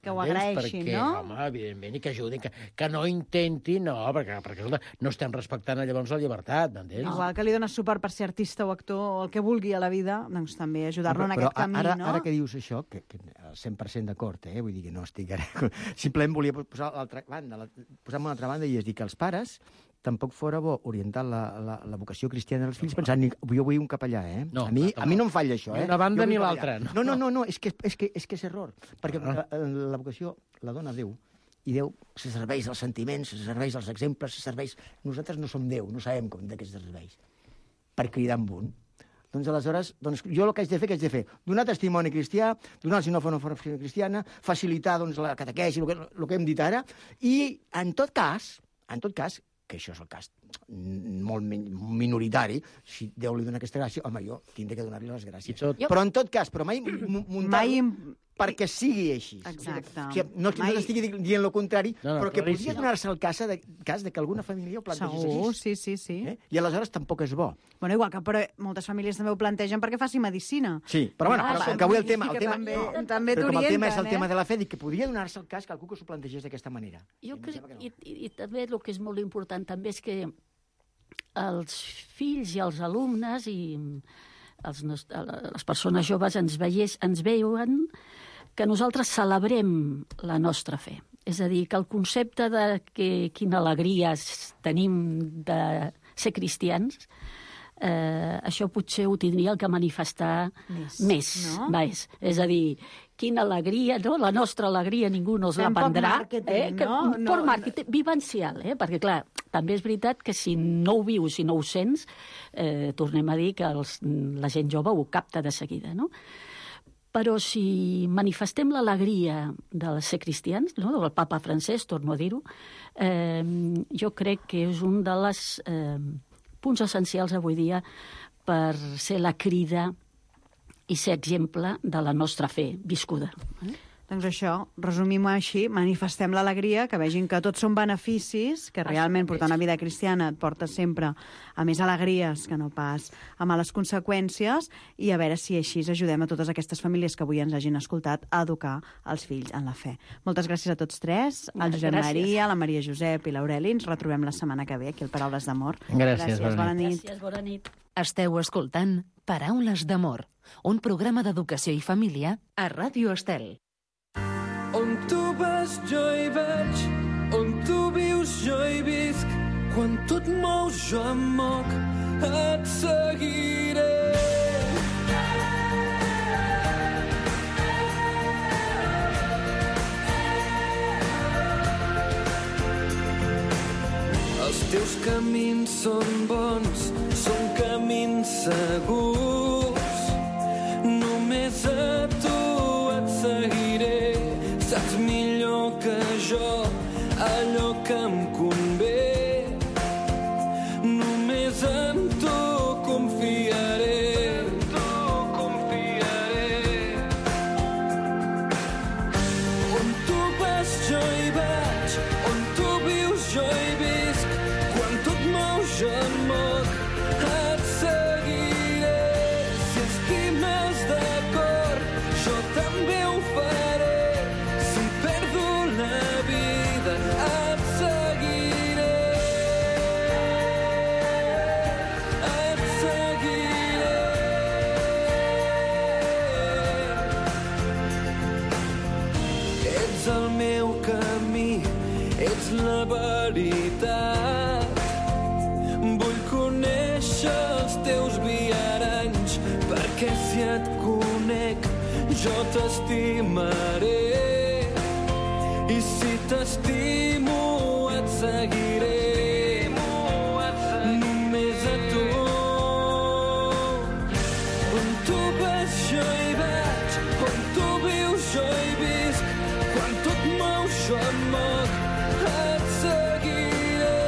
que ho Entens? agraeixin, perquè, no? Home, evidentment, i que ajudin, que no intentin, no, perquè escolta, no estem respectant llavors la llibertat, m'entens? Igual que li dones suport per ser artista o actor o el que vulgui a la vida, doncs també ajudar-lo en aquest camí, no? Ara que dius això, que 100% d'acord, vull dir que no estic ara... Simplement volia posar posar-me una altra banda i és dir que els pares tampoc fora bo orientar la vocació cristiana dels fills pensant, jo vull un capellà, No, a mi no em falla això, Ni una banda Jo vull ni un l'altra, capellà. No, és que és error, perquè la vocació la dona Déu, i Déu se serveix dels sentiments, se serveix dels exemples, se serveix... Nosaltres no som Déu, no sabem com de què se serveix, per cridar amb un. Doncs aleshores, jo el que haig de fer, què haig de fer? Donar testimoni cristià, donar si no fa una formació cristiana, facilitar la catequesi, el que hem dit ara, i en tot cas, que això és el cas molt minoritari, si Déu li dona aquesta gràcia, home, jo tindré que donar-li les gràcies. Però en tot cas, mai muntar-lo perquè sigui així. Exacte. O sigui, no t'estigui dient el contrari, però que claríssim. podria donar-se el cas de que alguna família ho plantegés així. Segur, sí. I aleshores tampoc és bo. Bueno, igual que però moltes famílies també ho plantegen perquè faci medicina. Sí, però com que avui el tema... També Però com el tema és el t'orienten, tema de la fe, dic que podria donar-se el cas que algú que s'ho plantegés d'aquesta manera. Jo crec, i també el que és molt important també és que els fills i els alumnes i les persones joves ens veuen que nosaltres celebrem la nostra fe. És a dir, que el concepte de quina alegria tenim de ser cristians, això potser ho tindria que manifestar més. no? És a dir, quina alegria, no? La nostra alegria ningú no la Fem poc prendrà. màrqueting, no? Poc màrqueting vivencial, perquè clar, també és veritat que si no ho vius, si no ho sents, tornem a dir que la gent jove ho capta de seguida, no? Però si manifestem l'alegria de ser cristians, no? Del papa francès, torno a dir-ho, jo crec que és un de les punts essencials avui dia per ser la crida i ser exemple de la nostra fe viscuda. Doncs això, resumim així, manifestem l'alegria, que vegin que tots són beneficis, que realment portar una vida cristiana et porta sempre a més alegries que no pas a males conseqüències, i a veure si així ajudem a totes aquestes famílies que avui ens hagin escoltat a educar els fills en la fe. Moltes gràcies a tots tres, al Josep Maria, la Maria Josep i l'Aureli. Ens retrobem la setmana que ve aquí al Paraules d'Amor. Gràcies, bona nit. Gràcies, bona nit. Esteu escoltant Paraules d'Amor, un programa d'educació i família a Ràdio Estel. On tu vas jo hi vaig, on tu vius jo hi visc, quan tu et mous jo em moc, et seguiré. Els teus camins són bons, són camins segurs, només a tu et seguiré. Saps millor que jo allò que em convé. Només en tu confiaré. On tu vas jo hi vaig, on tu vius jo hi visc, quan tu et mous jo em moc, et seguiré. Si estimes de cor, jo també ho faré. La veritat, vull conèixer els teus viaranys, perquè si et conec jo t'estimaré, i si t'estimo et seguiré. Només a tu. On tu vas jo hi vaig, on tu vius jo hi visc, quan tu et mous jo em moc, et seguiré.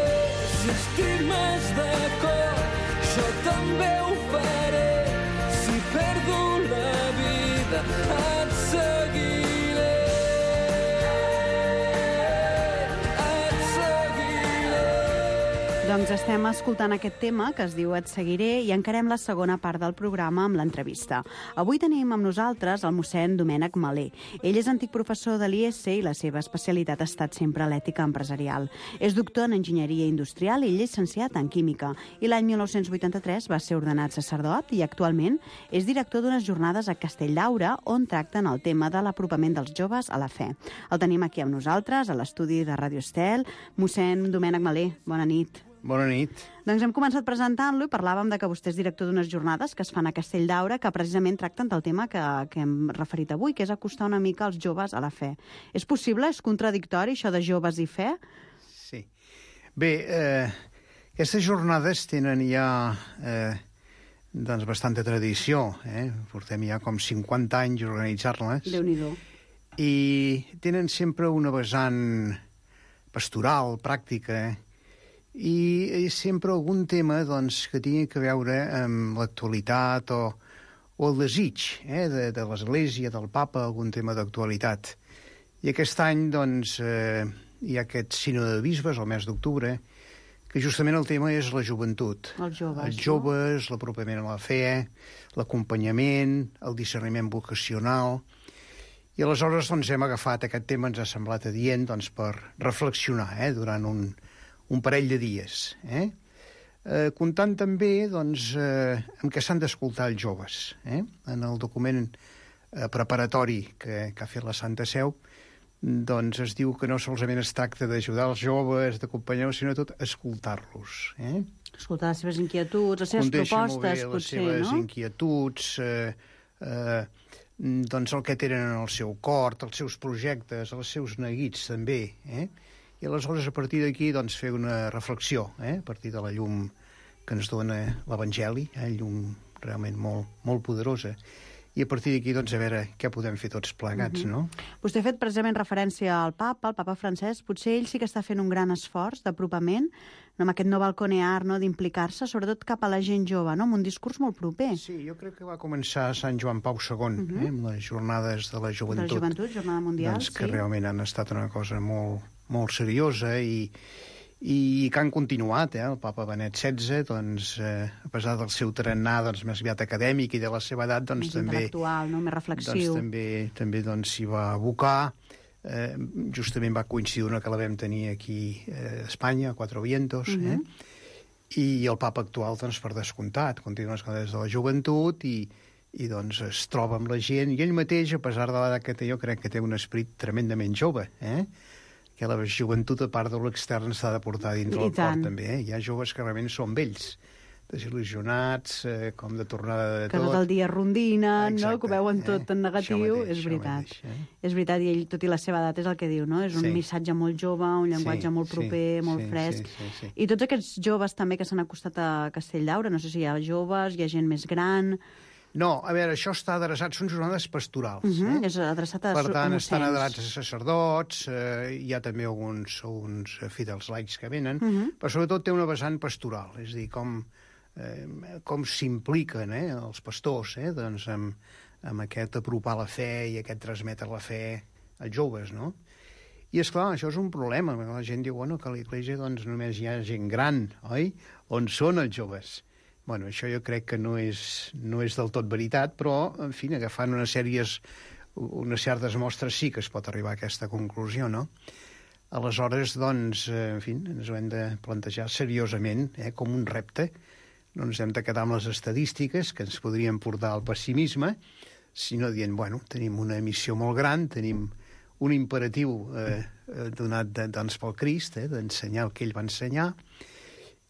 Si estimes de cor, jo també ho faré. Si perdo la vida, et seguiré. Et seguiré. Doncs estem escoltant aquest tema que es diu Et seguiré i encarem la segona part del programa amb l'entrevista. Avui tenim amb nosaltres el mossèn Domènec Malé. Ell és antic professor de l'IES i la seva especialitat ha estat sempre l'ètica empresarial. És doctor en enginyeria industrial i llicenciat en química i l'any 1983 va ser ordenat sacerdot i actualment és director d'unes jornades a Castelldaura on tracten el tema de l'apropament dels joves a la fe. El tenim aquí amb nosaltres, a l'estudi de Ràdio Estel. Mossèn Domènec Malé, bona nit. Bona nit. Doncs hem començat presentant-lo i parlàvem de que vostè és director d'unes jornades que es fan a Castelldaura que precisament tracten del tema que hem referit avui, que és acostar una mica els joves a la fe. És possible? És contradictori, això de joves i fe? Sí. Bé, aquestes jornades tenen ja doncs bastanta tradició. Portem ja com 50 anys organitzar-les. Déu-n'hi-do. I tenen sempre una vessant pastoral, pràctica, i sempre algun tema doncs, que tingui a veure amb l'actualitat o el desig de l'Església, del Papa, algun tema d'actualitat. I aquest any doncs, hi ha aquest sínode de bisbes, el mes d'octubre, que justament el tema és la joventut. Els joves, Els joves, l'apropament a la fe, l'acompanyament, el discerniment vocacional. I aleshores doncs, hem agafat aquest tema, ens ha semblat adient doncs, per reflexionar durant un parell de dies. Comptant també doncs, amb què s'han d'escoltar els joves. En el document preparatori que ha fet la Santa Seu doncs es diu que no solament es tracta d'ajudar els joves, d'acompanyar-los, sinó tot escoltar-los. Escoltar les seves inquietuds, les seves propostes, les potser, seves no? inquietuds, doncs el que tenen en el seu cor, els seus projectes, els seus neguits també, I aleshores, a partir d'aquí, doncs, fer una reflexió, a partir de la llum que ens dona l'Evangeli, llum realment molt, molt poderosa. i a partir d'aquí, doncs, a veure què podem fer tots plegats, no? Vostè ha fet precisament referència al Papa Francesc. Potser ell sí que està fent un gran esforç d'apropament, no, amb aquest no balconear, no, d'implicar-se, sobretot cap a la gent jove, no, amb un discurs molt proper. Sí, jo crec que va començar a Sant Joan Pau II, amb les jornades de la joventut. De la joventut, jornada mundial, doncs, que realment han estat una cosa molt, molt seriosa i que han continuat, el papa Benet XVI, doncs, a pesar del seu tarannà doncs, més aviat acadèmic i de la seva edat, doncs, més intel·lectual, no? Més reflexiu. Doncs, també doncs, s'hi va abocar. Justament va coincidir una que la vam tenir aquí a Espanya, a Cuatro Vientos, i el papa actual, doncs, per descomptat, continua les coses de la joventut i doncs es troba amb la gent, i ell mateix, a pesar de l'edat que té, jo crec que té un esperit tremendament jove, que la joventut, a part de l'extern, s'ha de portar dintre el cor, també. Hi ha joves que realment són vells, desil·lusionats, com de tornada de tot. Que tot el dia rondinen, no? Que ho veuen tot en negatiu. És veritat. És veritat, i ell, tot i la seva edat, és el que diu, no? És un missatge molt jove, un llenguatge molt proper, molt fresc. I tots aquests joves també que s'han acostat a Castelldaura, no sé si hi ha joves, hi ha gent més gran... No, a veure, això està adreçat, són jornades pastorals. És adreçat a per tant, estan adreçats a sacerdots, hi ha també alguns fidels laics que venen, però sobretot té una vessant pastoral, és a dir, com s'impliquen els pastors doncs, amb aquest apropar la fe i aquest transmetre la fe als joves, no? I, esclar, això és un problema. La gent diu, bueno, que a l'església doncs, només hi ha gent gran, oi? On són els joves? Bueno, això jo crec que no és del tot veritat, però, en fi, agafant unes certes mostres sí que es pot arribar a aquesta conclusió, no? Aleshores, doncs, en fi, ens ho hem de plantejar seriosament, com un repte. No ens hem de quedar amb les estadístiques que ens podrien portar al pessimisme, sinó dient, bueno, tenim una missió molt gran, tenim un imperatiu donat doncs, pel Crist, d'ensenyar el que ell va ensenyar,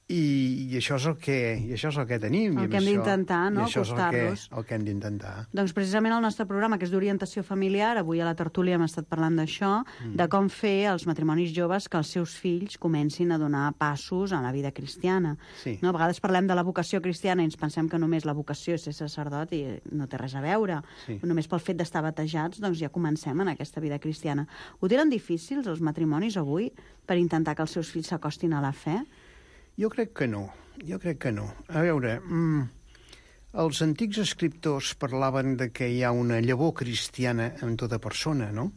i això és el que tenim. El que hem d'intentar, no?, acostar-los. El que hem d'intentar. Doncs precisament el nostre programa, que és d'orientació familiar, avui a la tertúlia hem estat parlant d'això, de com fer als matrimonis joves que els seus fills comencin a donar passos en la vida cristiana. Sí. No? A vegades parlem de la vocació cristiana i ens pensem que només la vocació és ser sacerdot i no té res a veure. Sí. Només pel fet d'estar batejats, doncs ja comencem en aquesta vida cristiana. Ho tenen difícils els matrimonis avui per intentar que els seus fills s'acostin a la fe? Jo crec que no. A veure, els antics escriptors parlaven de que hi ha una llavor cristiana en tota persona, no?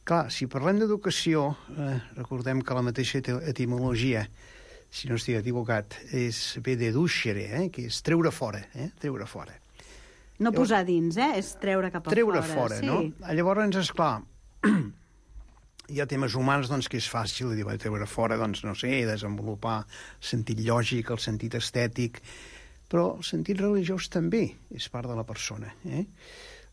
Clar, si parlem d'educació, recordem que la mateixa etimologia, si no estic equivocat, ve de ducere, que és treure fora, treure fora. No posar dins, és treure cap a fora. Treure fora, sí. No? Llavors, esclar, hi ha temes humans doncs, que és fàcil dir, treure fora, doncs, no sé, desenvolupar el sentit lògic, el sentit estètic, però el sentit religiós també és part de la persona.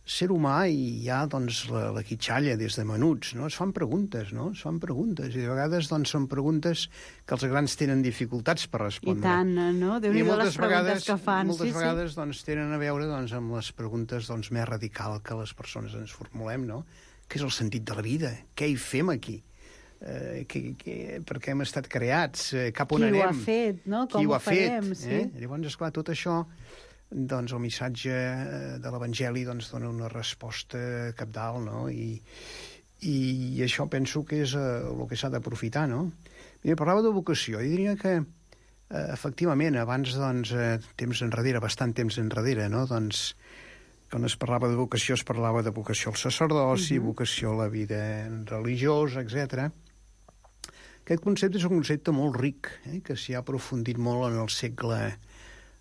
Ser humà hi ha doncs, la quitxalla des de menuts, no? Es fan preguntes, i de vegades doncs, són preguntes que els grans tenen dificultats per respondre. I tant, no? Déu-n'hi-do les preguntes que fan. Moltes vegades doncs, tenen a veure doncs, amb les preguntes doncs, més radicals que les persones ens formulem, no? Què és el sentit de la vida? Què hi fem aquí? Per què hem estat creats? Cap on anem? Qui ho ha fet, no? Com ho farem? Sí. Llavors, esclar, tot això, doncs, el missatge de l'Evangeli doncs, dona una resposta cabdal, no? I això penso que és el que s'ha d'aprofitar, no? Mira, parlava de vocació. Jo diria que, efectivament, abans, doncs, bastant temps enrere, no? Doncs, quan es parlava de vocació, es parlava de vocació al sacerdoci, vocació a la vida religiosa, etc. Aquest concepte és un concepte molt ric, que s'hi ha aprofundit molt en el segle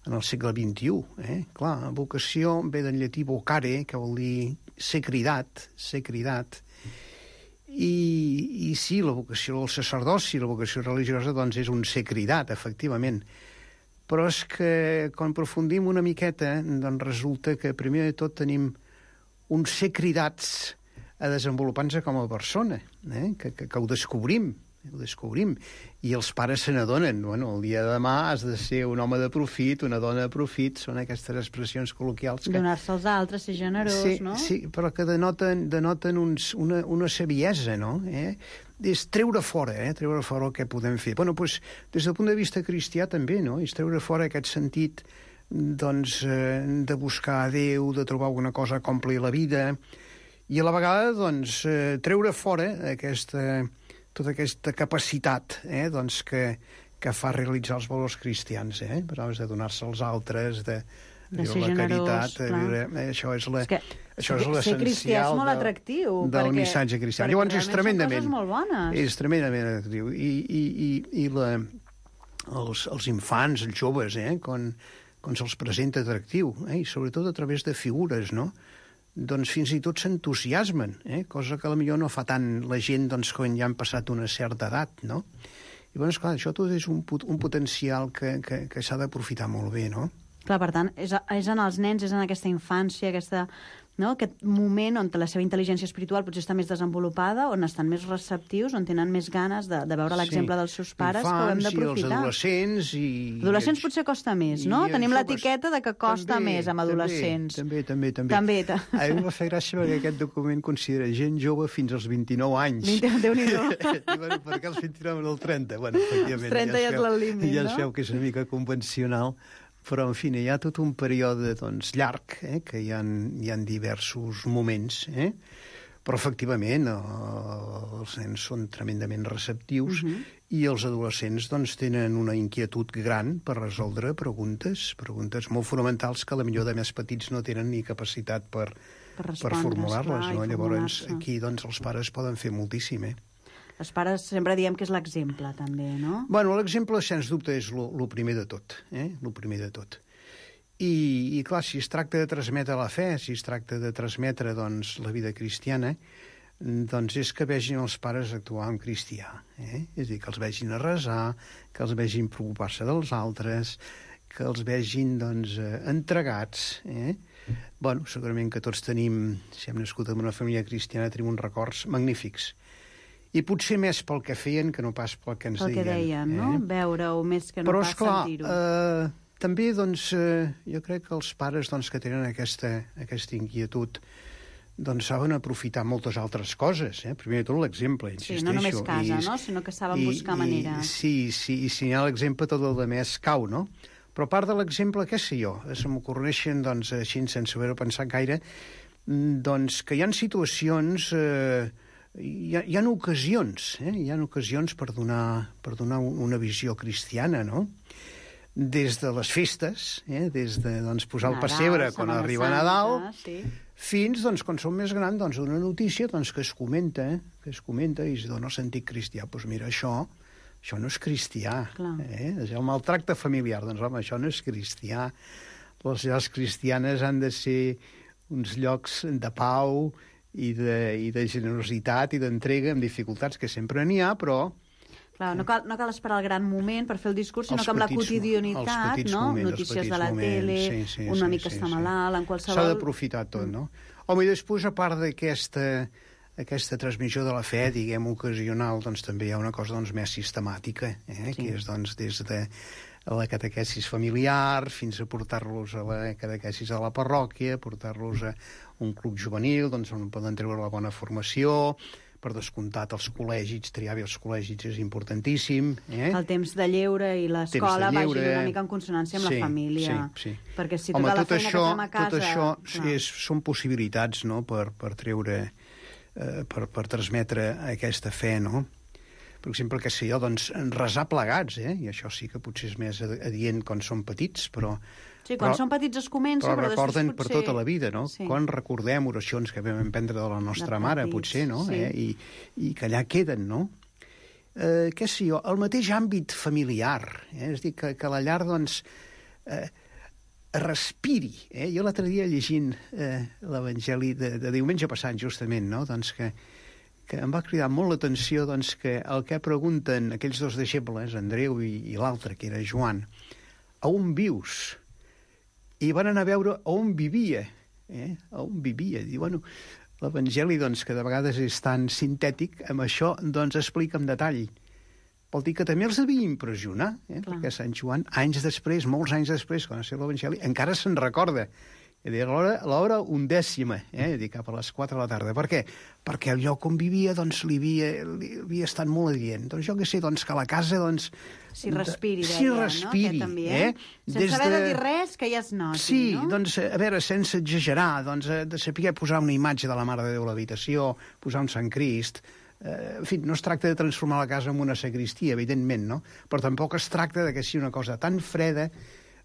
XXI. Clar, vocació ve del llatí vocare, que vol dir ser cridat, i sí, la vocació del sacerdoci, la vocació religiosa, doncs és un ser cridat, efectivament. Però és que, quan aprofundim una miqueta, doncs resulta que, primer de tot, tenim un ser cridats a desenvolupar-nos com a persona, que ho descobrim, i els pares se n'adonen. Bueno, el dia de demà has de ser un home de profit, una dona de profit, són aquestes expressions col·loquials. Donar-se als altres, ser generós, no? Sí, però que denoten una saviesa, no? És treure fora el que podem fer. Bueno, doncs, des del punt de vista cristià també, no? És treure fora aquest sentit de buscar a Déu, de trobar alguna cosa que ompli la vida, i a la vegada treure fora tota aquesta capacitat que fa realitzar els valors cristians, parlaves de donar-se als altres, de ser la generós, caritat, això és l'essencial ser cristià és molt atractiu, del missatge cristià. Llavors és tremendament... Són coses molt bones. És tremendament atractiu. I els infants, els joves, quan se'ls presenta atractiu, i sobretot a través de figures, no? Doncs fins i tot s'entusiasmen, cosa que potser no fa tant la gent quan ja han passat una certa edat, no? I, esclar, això tot és un potencial que s'ha d'aprofitar molt bé, no? Clar, per tant, és en els nens, és en aquesta infància, aquest moment on la seva intel·ligència espiritual potser està més desenvolupada, on estan més receptius, on tenen més ganes de veure l'exemple dels seus pares, que ho hem d'aprofitar. I els adolescents... Adolescents potser costa més, no? Tenim l'etiqueta de que costa més amb adolescents. També. A mi em va fer gràcia perquè aquest document considera gent jove fins als 29 anys. Déu-n'hi-do. Per què els 29 no el 30? Efectivament. Els 30 ja és el límit, no? Ja es veu que és una mica convencional. Però, en fi, hi ha tot un període llarg, que hi ha diversos moments, però, efectivament, els nens són tremendament receptius i els adolescents tenen una inquietud gran per resoldre preguntes molt fonamentals que, potser de més petits no tenen ni capacitat per formular-les. Llavors, aquí els pares poden fer moltíssim, Els pares sempre diem que és l'exemple, també, no? Bueno, l'exemple, sens dubte, és el primer de tot, el primer de tot. I, clar, si es tracta de transmetre la fe, si es tracta de transmetre, la vida cristiana, és que vegin els pares actuar en cristià, És a dir, que els vegin a resar, que els vegin preocupar-se dels altres, que els vegin, entregats, Bueno, segurament que tots tenim, si hem nascut en una família cristiana, tenim uns records magnífics. I potser més pel que feien que no pas pel que ens deien. Pel que deien, no? Veure-ho més que no pas sentir-ho. Però, esclar, també, jo crec que els pares que tenen aquesta inquietud saben aprofitar moltes altres coses. Primer de tot l'exemple, insisteixo. Sí, no només casa, no? Sinó que saben buscar maneres. Sí, i si hi ha l'exemple, tot el més cau, no? Però a part de l'exemple, què sé jo? Se m'ocorreixen, així, sense haver-ho pensat gaire, que hi ha situacions... Hi ha ocasions, hi ha ocasions per donar una visió cristiana, no? Des de les festes, des de posar el pessebre quan arriba Nadal, fins quan som més grans, una notícia que es comenta i es dona el sentit cristià. Doncs mira, això no és cristià. És el maltracte familiar. Doncs home, això no és cristià. Les llars cristianes han de ser uns llocs de pau i de generositat i d'entrega amb dificultats, que sempre n'hi ha, però... Clar, no cal esperar el gran moment per fer el discurs, sinó que amb la quotidianitat, no? Notícies de la tele, un amic que està malalt, en qualsevol... S'ha d'aprofitar tot, no? Home, i després, a part d'aquesta transmissió de la fe, diguem, ocasional, també hi ha una cosa més sistemàtica, que és des de la catequesis familiar, fins a portar-los a la catequesis a la parròquia, portar-los a un club juvenil, on poden treure la bona formació, per descomptat els col·legis, triar bé els col·legis és importantíssim. El temps de lleure i l'escola vagin una mica en consonància amb la família. Sí. Perquè si tota la feina que fem a casa... Tot això són possibilitats, no?, per treure, per transmetre aquesta fe, no? Per exemple, què sé jo, resar plegats, i això sí que potser és més adient quan són petits, però... Sí, quan són petits es comença, però recorden després per tota la vida, no? Sí. Quan recordem oracions que vam aprendre de la nostra mare, potser, no? Sí. I que allà queden, no? Què sé jo, el mateix àmbit familiar, és a dir, que la llar, respiri. Jo l'altre dia llegint l'Evangeli de diumenge passat, justament, no? Que em va cridar molt l'atenció que el que pregunten aquells dos deixebles, Andreu i l'altre, que era Joan, a on vius? I van anar a veure on vivia. A on vivia. Diu, bueno, l'Evangeli, que de vegades és tan sintètic, amb això, explica en detall. Vol dir que també els devia impressionar, perquè Sant Joan, anys després, molts anys després, quan va ser l'Evangeli, encara se'n recorda a l'hora 11, dic, cap a les 4 de la tarda. Per què? Perquè el lloc on vivia, doncs, li havia estat molt adient. Doncs jo què sé, doncs, que la casa, doncs... Si respiri, deia, si respiri, no? Sense haver de dir res, que ja es noti, sí, no? Doncs, a veure, sense exagerar, doncs, de saber posar una imatge de la Mare de Déu a l'habitació, posar un Sant Crist... En fi, no es tracta de transformar la casa en una sagristia, evidentment, no? Però tampoc es tracta de que sigui una cosa tan freda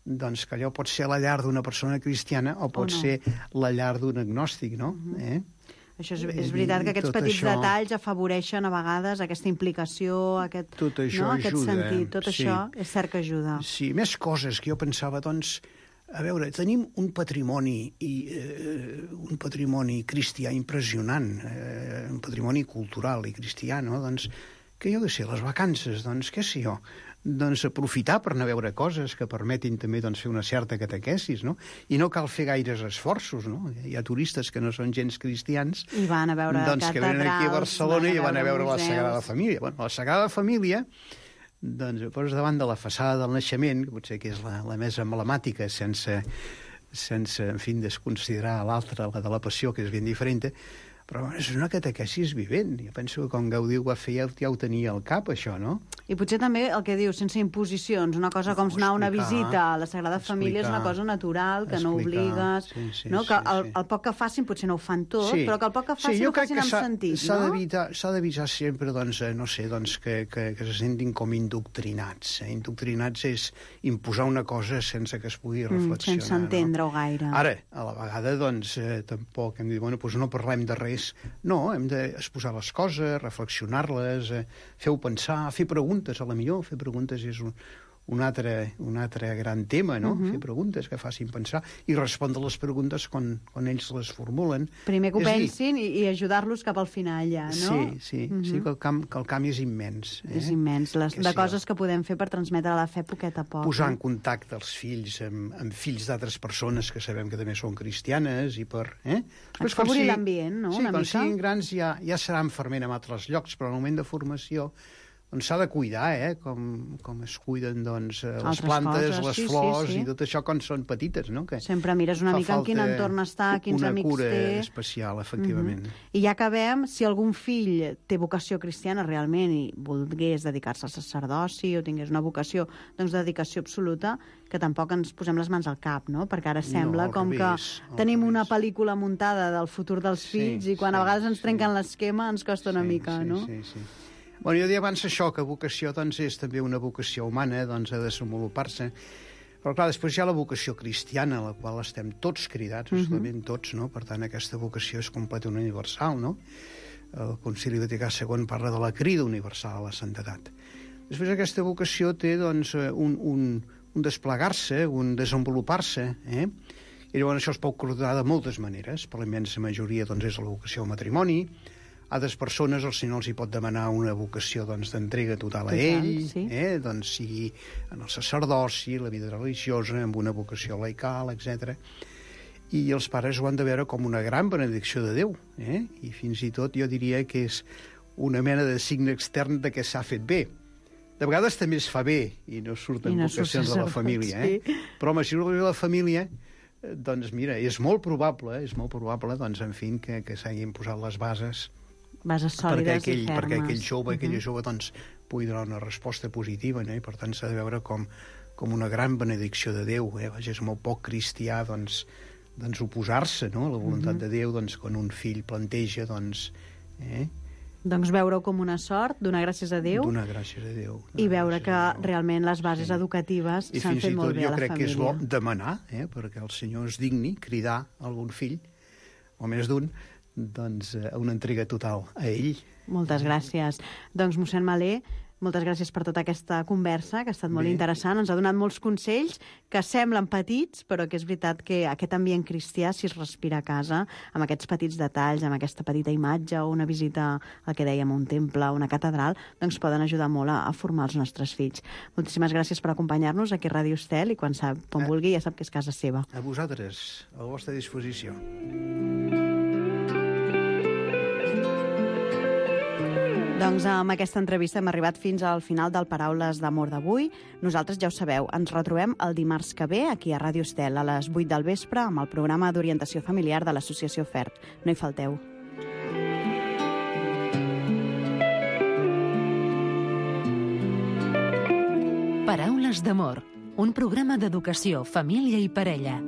doncs que allò pot ser la llar d'una persona cristiana o pot ser la llar d'un agnòstic, no? Això és veritat que aquests petits detalls afavoreixen a vegades aquesta implicació, aquest sentit. Tot això és cert que ajuda. Sí, més coses que jo pensava, doncs, a veure, tenim un patrimoni cristià impressionant, un patrimoni cultural i cristià, no? Doncs, que jo què sé, les vacances, doncs, què sé jo, doncs aprofitar per anar a veure coses que permetin també doncs, fer una certa catequesis, no? I no cal fer gaires esforços, no? Hi ha turistes que no són gens cristians i van a veure doncs, que venen aquí a Barcelona i van a veure la Sagrada Família. Bueno, la Sagrada Família, doncs, poses davant de la façada del naixement, que potser que és la més emblemàtica, sense en fi, desconsiderar l'altra, la de la Passió, que és ben diferent, però és una catequesis vivent. Jo penso que quan Gaudí ho va fer ja ho tenia al cap, això, no? I potser també el que dius, sense imposicions, una cosa com anar a una visita a la Sagrada Família és una cosa natural, que no obligues, no? Que el poc que facin potser no ho fan tot, però que el poc que facin ho facin amb sentit, no? S'ha d'evitar sempre, doncs, no sé, doncs, que se sentin com indoctrinats. Indoctrinats és imposar una cosa sense que es pugui reflexionar. Sense entendre-ho gaire. Ara, a la vegada, doncs, tampoc hem dit, bueno, doncs no parlem de res. No, hem d'exposar les coses, reflexionar-les, fer-ho pensar, fer preguntes, a la millor. Fer preguntes és un altre gran tema, no? Fer preguntes que facin pensar i respondre les preguntes quan ells les formulen. Primer que ho pensin i ajudar-los cap al final, ja, no? Sí, que el camp és immens. És immens, de coses que podem fer per transmetre la fe poquet a poc. Posar en contacte els fills amb fills d'altres persones que sabem que també són cristianes i per... Afavorir l'ambient, no? Sí, quan siguin grans ja seran ferment en altres llocs, però en el moment de formació doncs s'ha de cuidar, com es cuiden doncs, les plantes, les flors i tot això quan són petites, no? Que sempre mires una mica en quin entorn està, quins amics té... Una cura especial, efectivament. I ja acabem, si algun fill té vocació cristiana realment i volgués dedicar-se al sacerdoci o tingués una vocació doncs, de dedicació absoluta, que tampoc ens posem les mans al cap, no? Perquè ara sembla que tenim una pel·lícula muntada del futur dels fills i quan a vegades ens trenquen l'esquema ens costa una mica, no? Sí. Bueno, jo deia abans això, que vocació doncs, és també una vocació humana, doncs, a desenvolupar-se. Però, clar, després hi ha la vocació cristiana, a la qual estem tots cridats, absolutament tots, no? Per tant, aquesta vocació és completament universal, no? El Concili Vaticà II parla de la crida universal a la santedat. Després aquesta vocació té, doncs, un desplegar-se, un desenvolupar-se, I llavors això es pot coordinar de moltes maneres. Per la immensa majoria, doncs, és la vocació al matrimoni. A altres persones el Senyor els hi pot demanar una vocació d'entrega total a ell, doncs sigui en el sacerdoci, la vida religiosa, amb una vocació laical, etc. I els pares ho han de veure com una gran benedicció de Déu, i fins i tot jo diria que és una mena de signe extern de que s'ha fet bé. De vegades també es fa bé i no surten vocacions de la família, però home, si no de la família, doncs mira, és molt probable, doncs, en fi, que s'hagin posat les bases sòlides i fermes. Perquè aquella jove doncs, pugui donar una resposta positiva, no? I per tant s'ha de veure com una gran benedicció de Déu. Vaja, és molt poc cristià doncs oposar-se, no? A la voluntat de Déu, doncs, quan un fill planteja, doncs... Doncs veure-ho com una sort, donar gràcies a Déu. Donar gràcies a Déu. I veure que realment les bases educatives s'han fet molt bé a la família. I fins i tot jo crec que és bo demanar, perquè el Senyor es digni cridar algun fill, o més d'un, doncs, una entrega total a ell. Moltes gràcies. Doncs, mossèn Malé, moltes gràcies per tota aquesta conversa, que ha estat molt interessant. Ens ha donat molts consells que semblen petits, però que és veritat que aquest ambient cristià, si es respira a casa, amb aquests petits detalls, amb aquesta petita imatge o una visita, el que dèiem, a un temple, a una catedral, doncs poden ajudar molt a formar els nostres fills. Moltíssimes gràcies per acompanyar-nos aquí a Ràdio Estel i quan vulgui ja sap que és casa seva. A vosaltres, a la vostra disposició. Doncs amb aquesta entrevista hem arribat fins al final del Paraules d'Amor d'avui. Nosaltres, ja ho sabeu, ens retrobem el dimarts que ve aquí a Ràdio Estel a les 8 del vespre amb el programa d'orientació familiar de l'Associació FERT. No hi falteu. Paraules d'Amor, un programa d'educació, família i parella.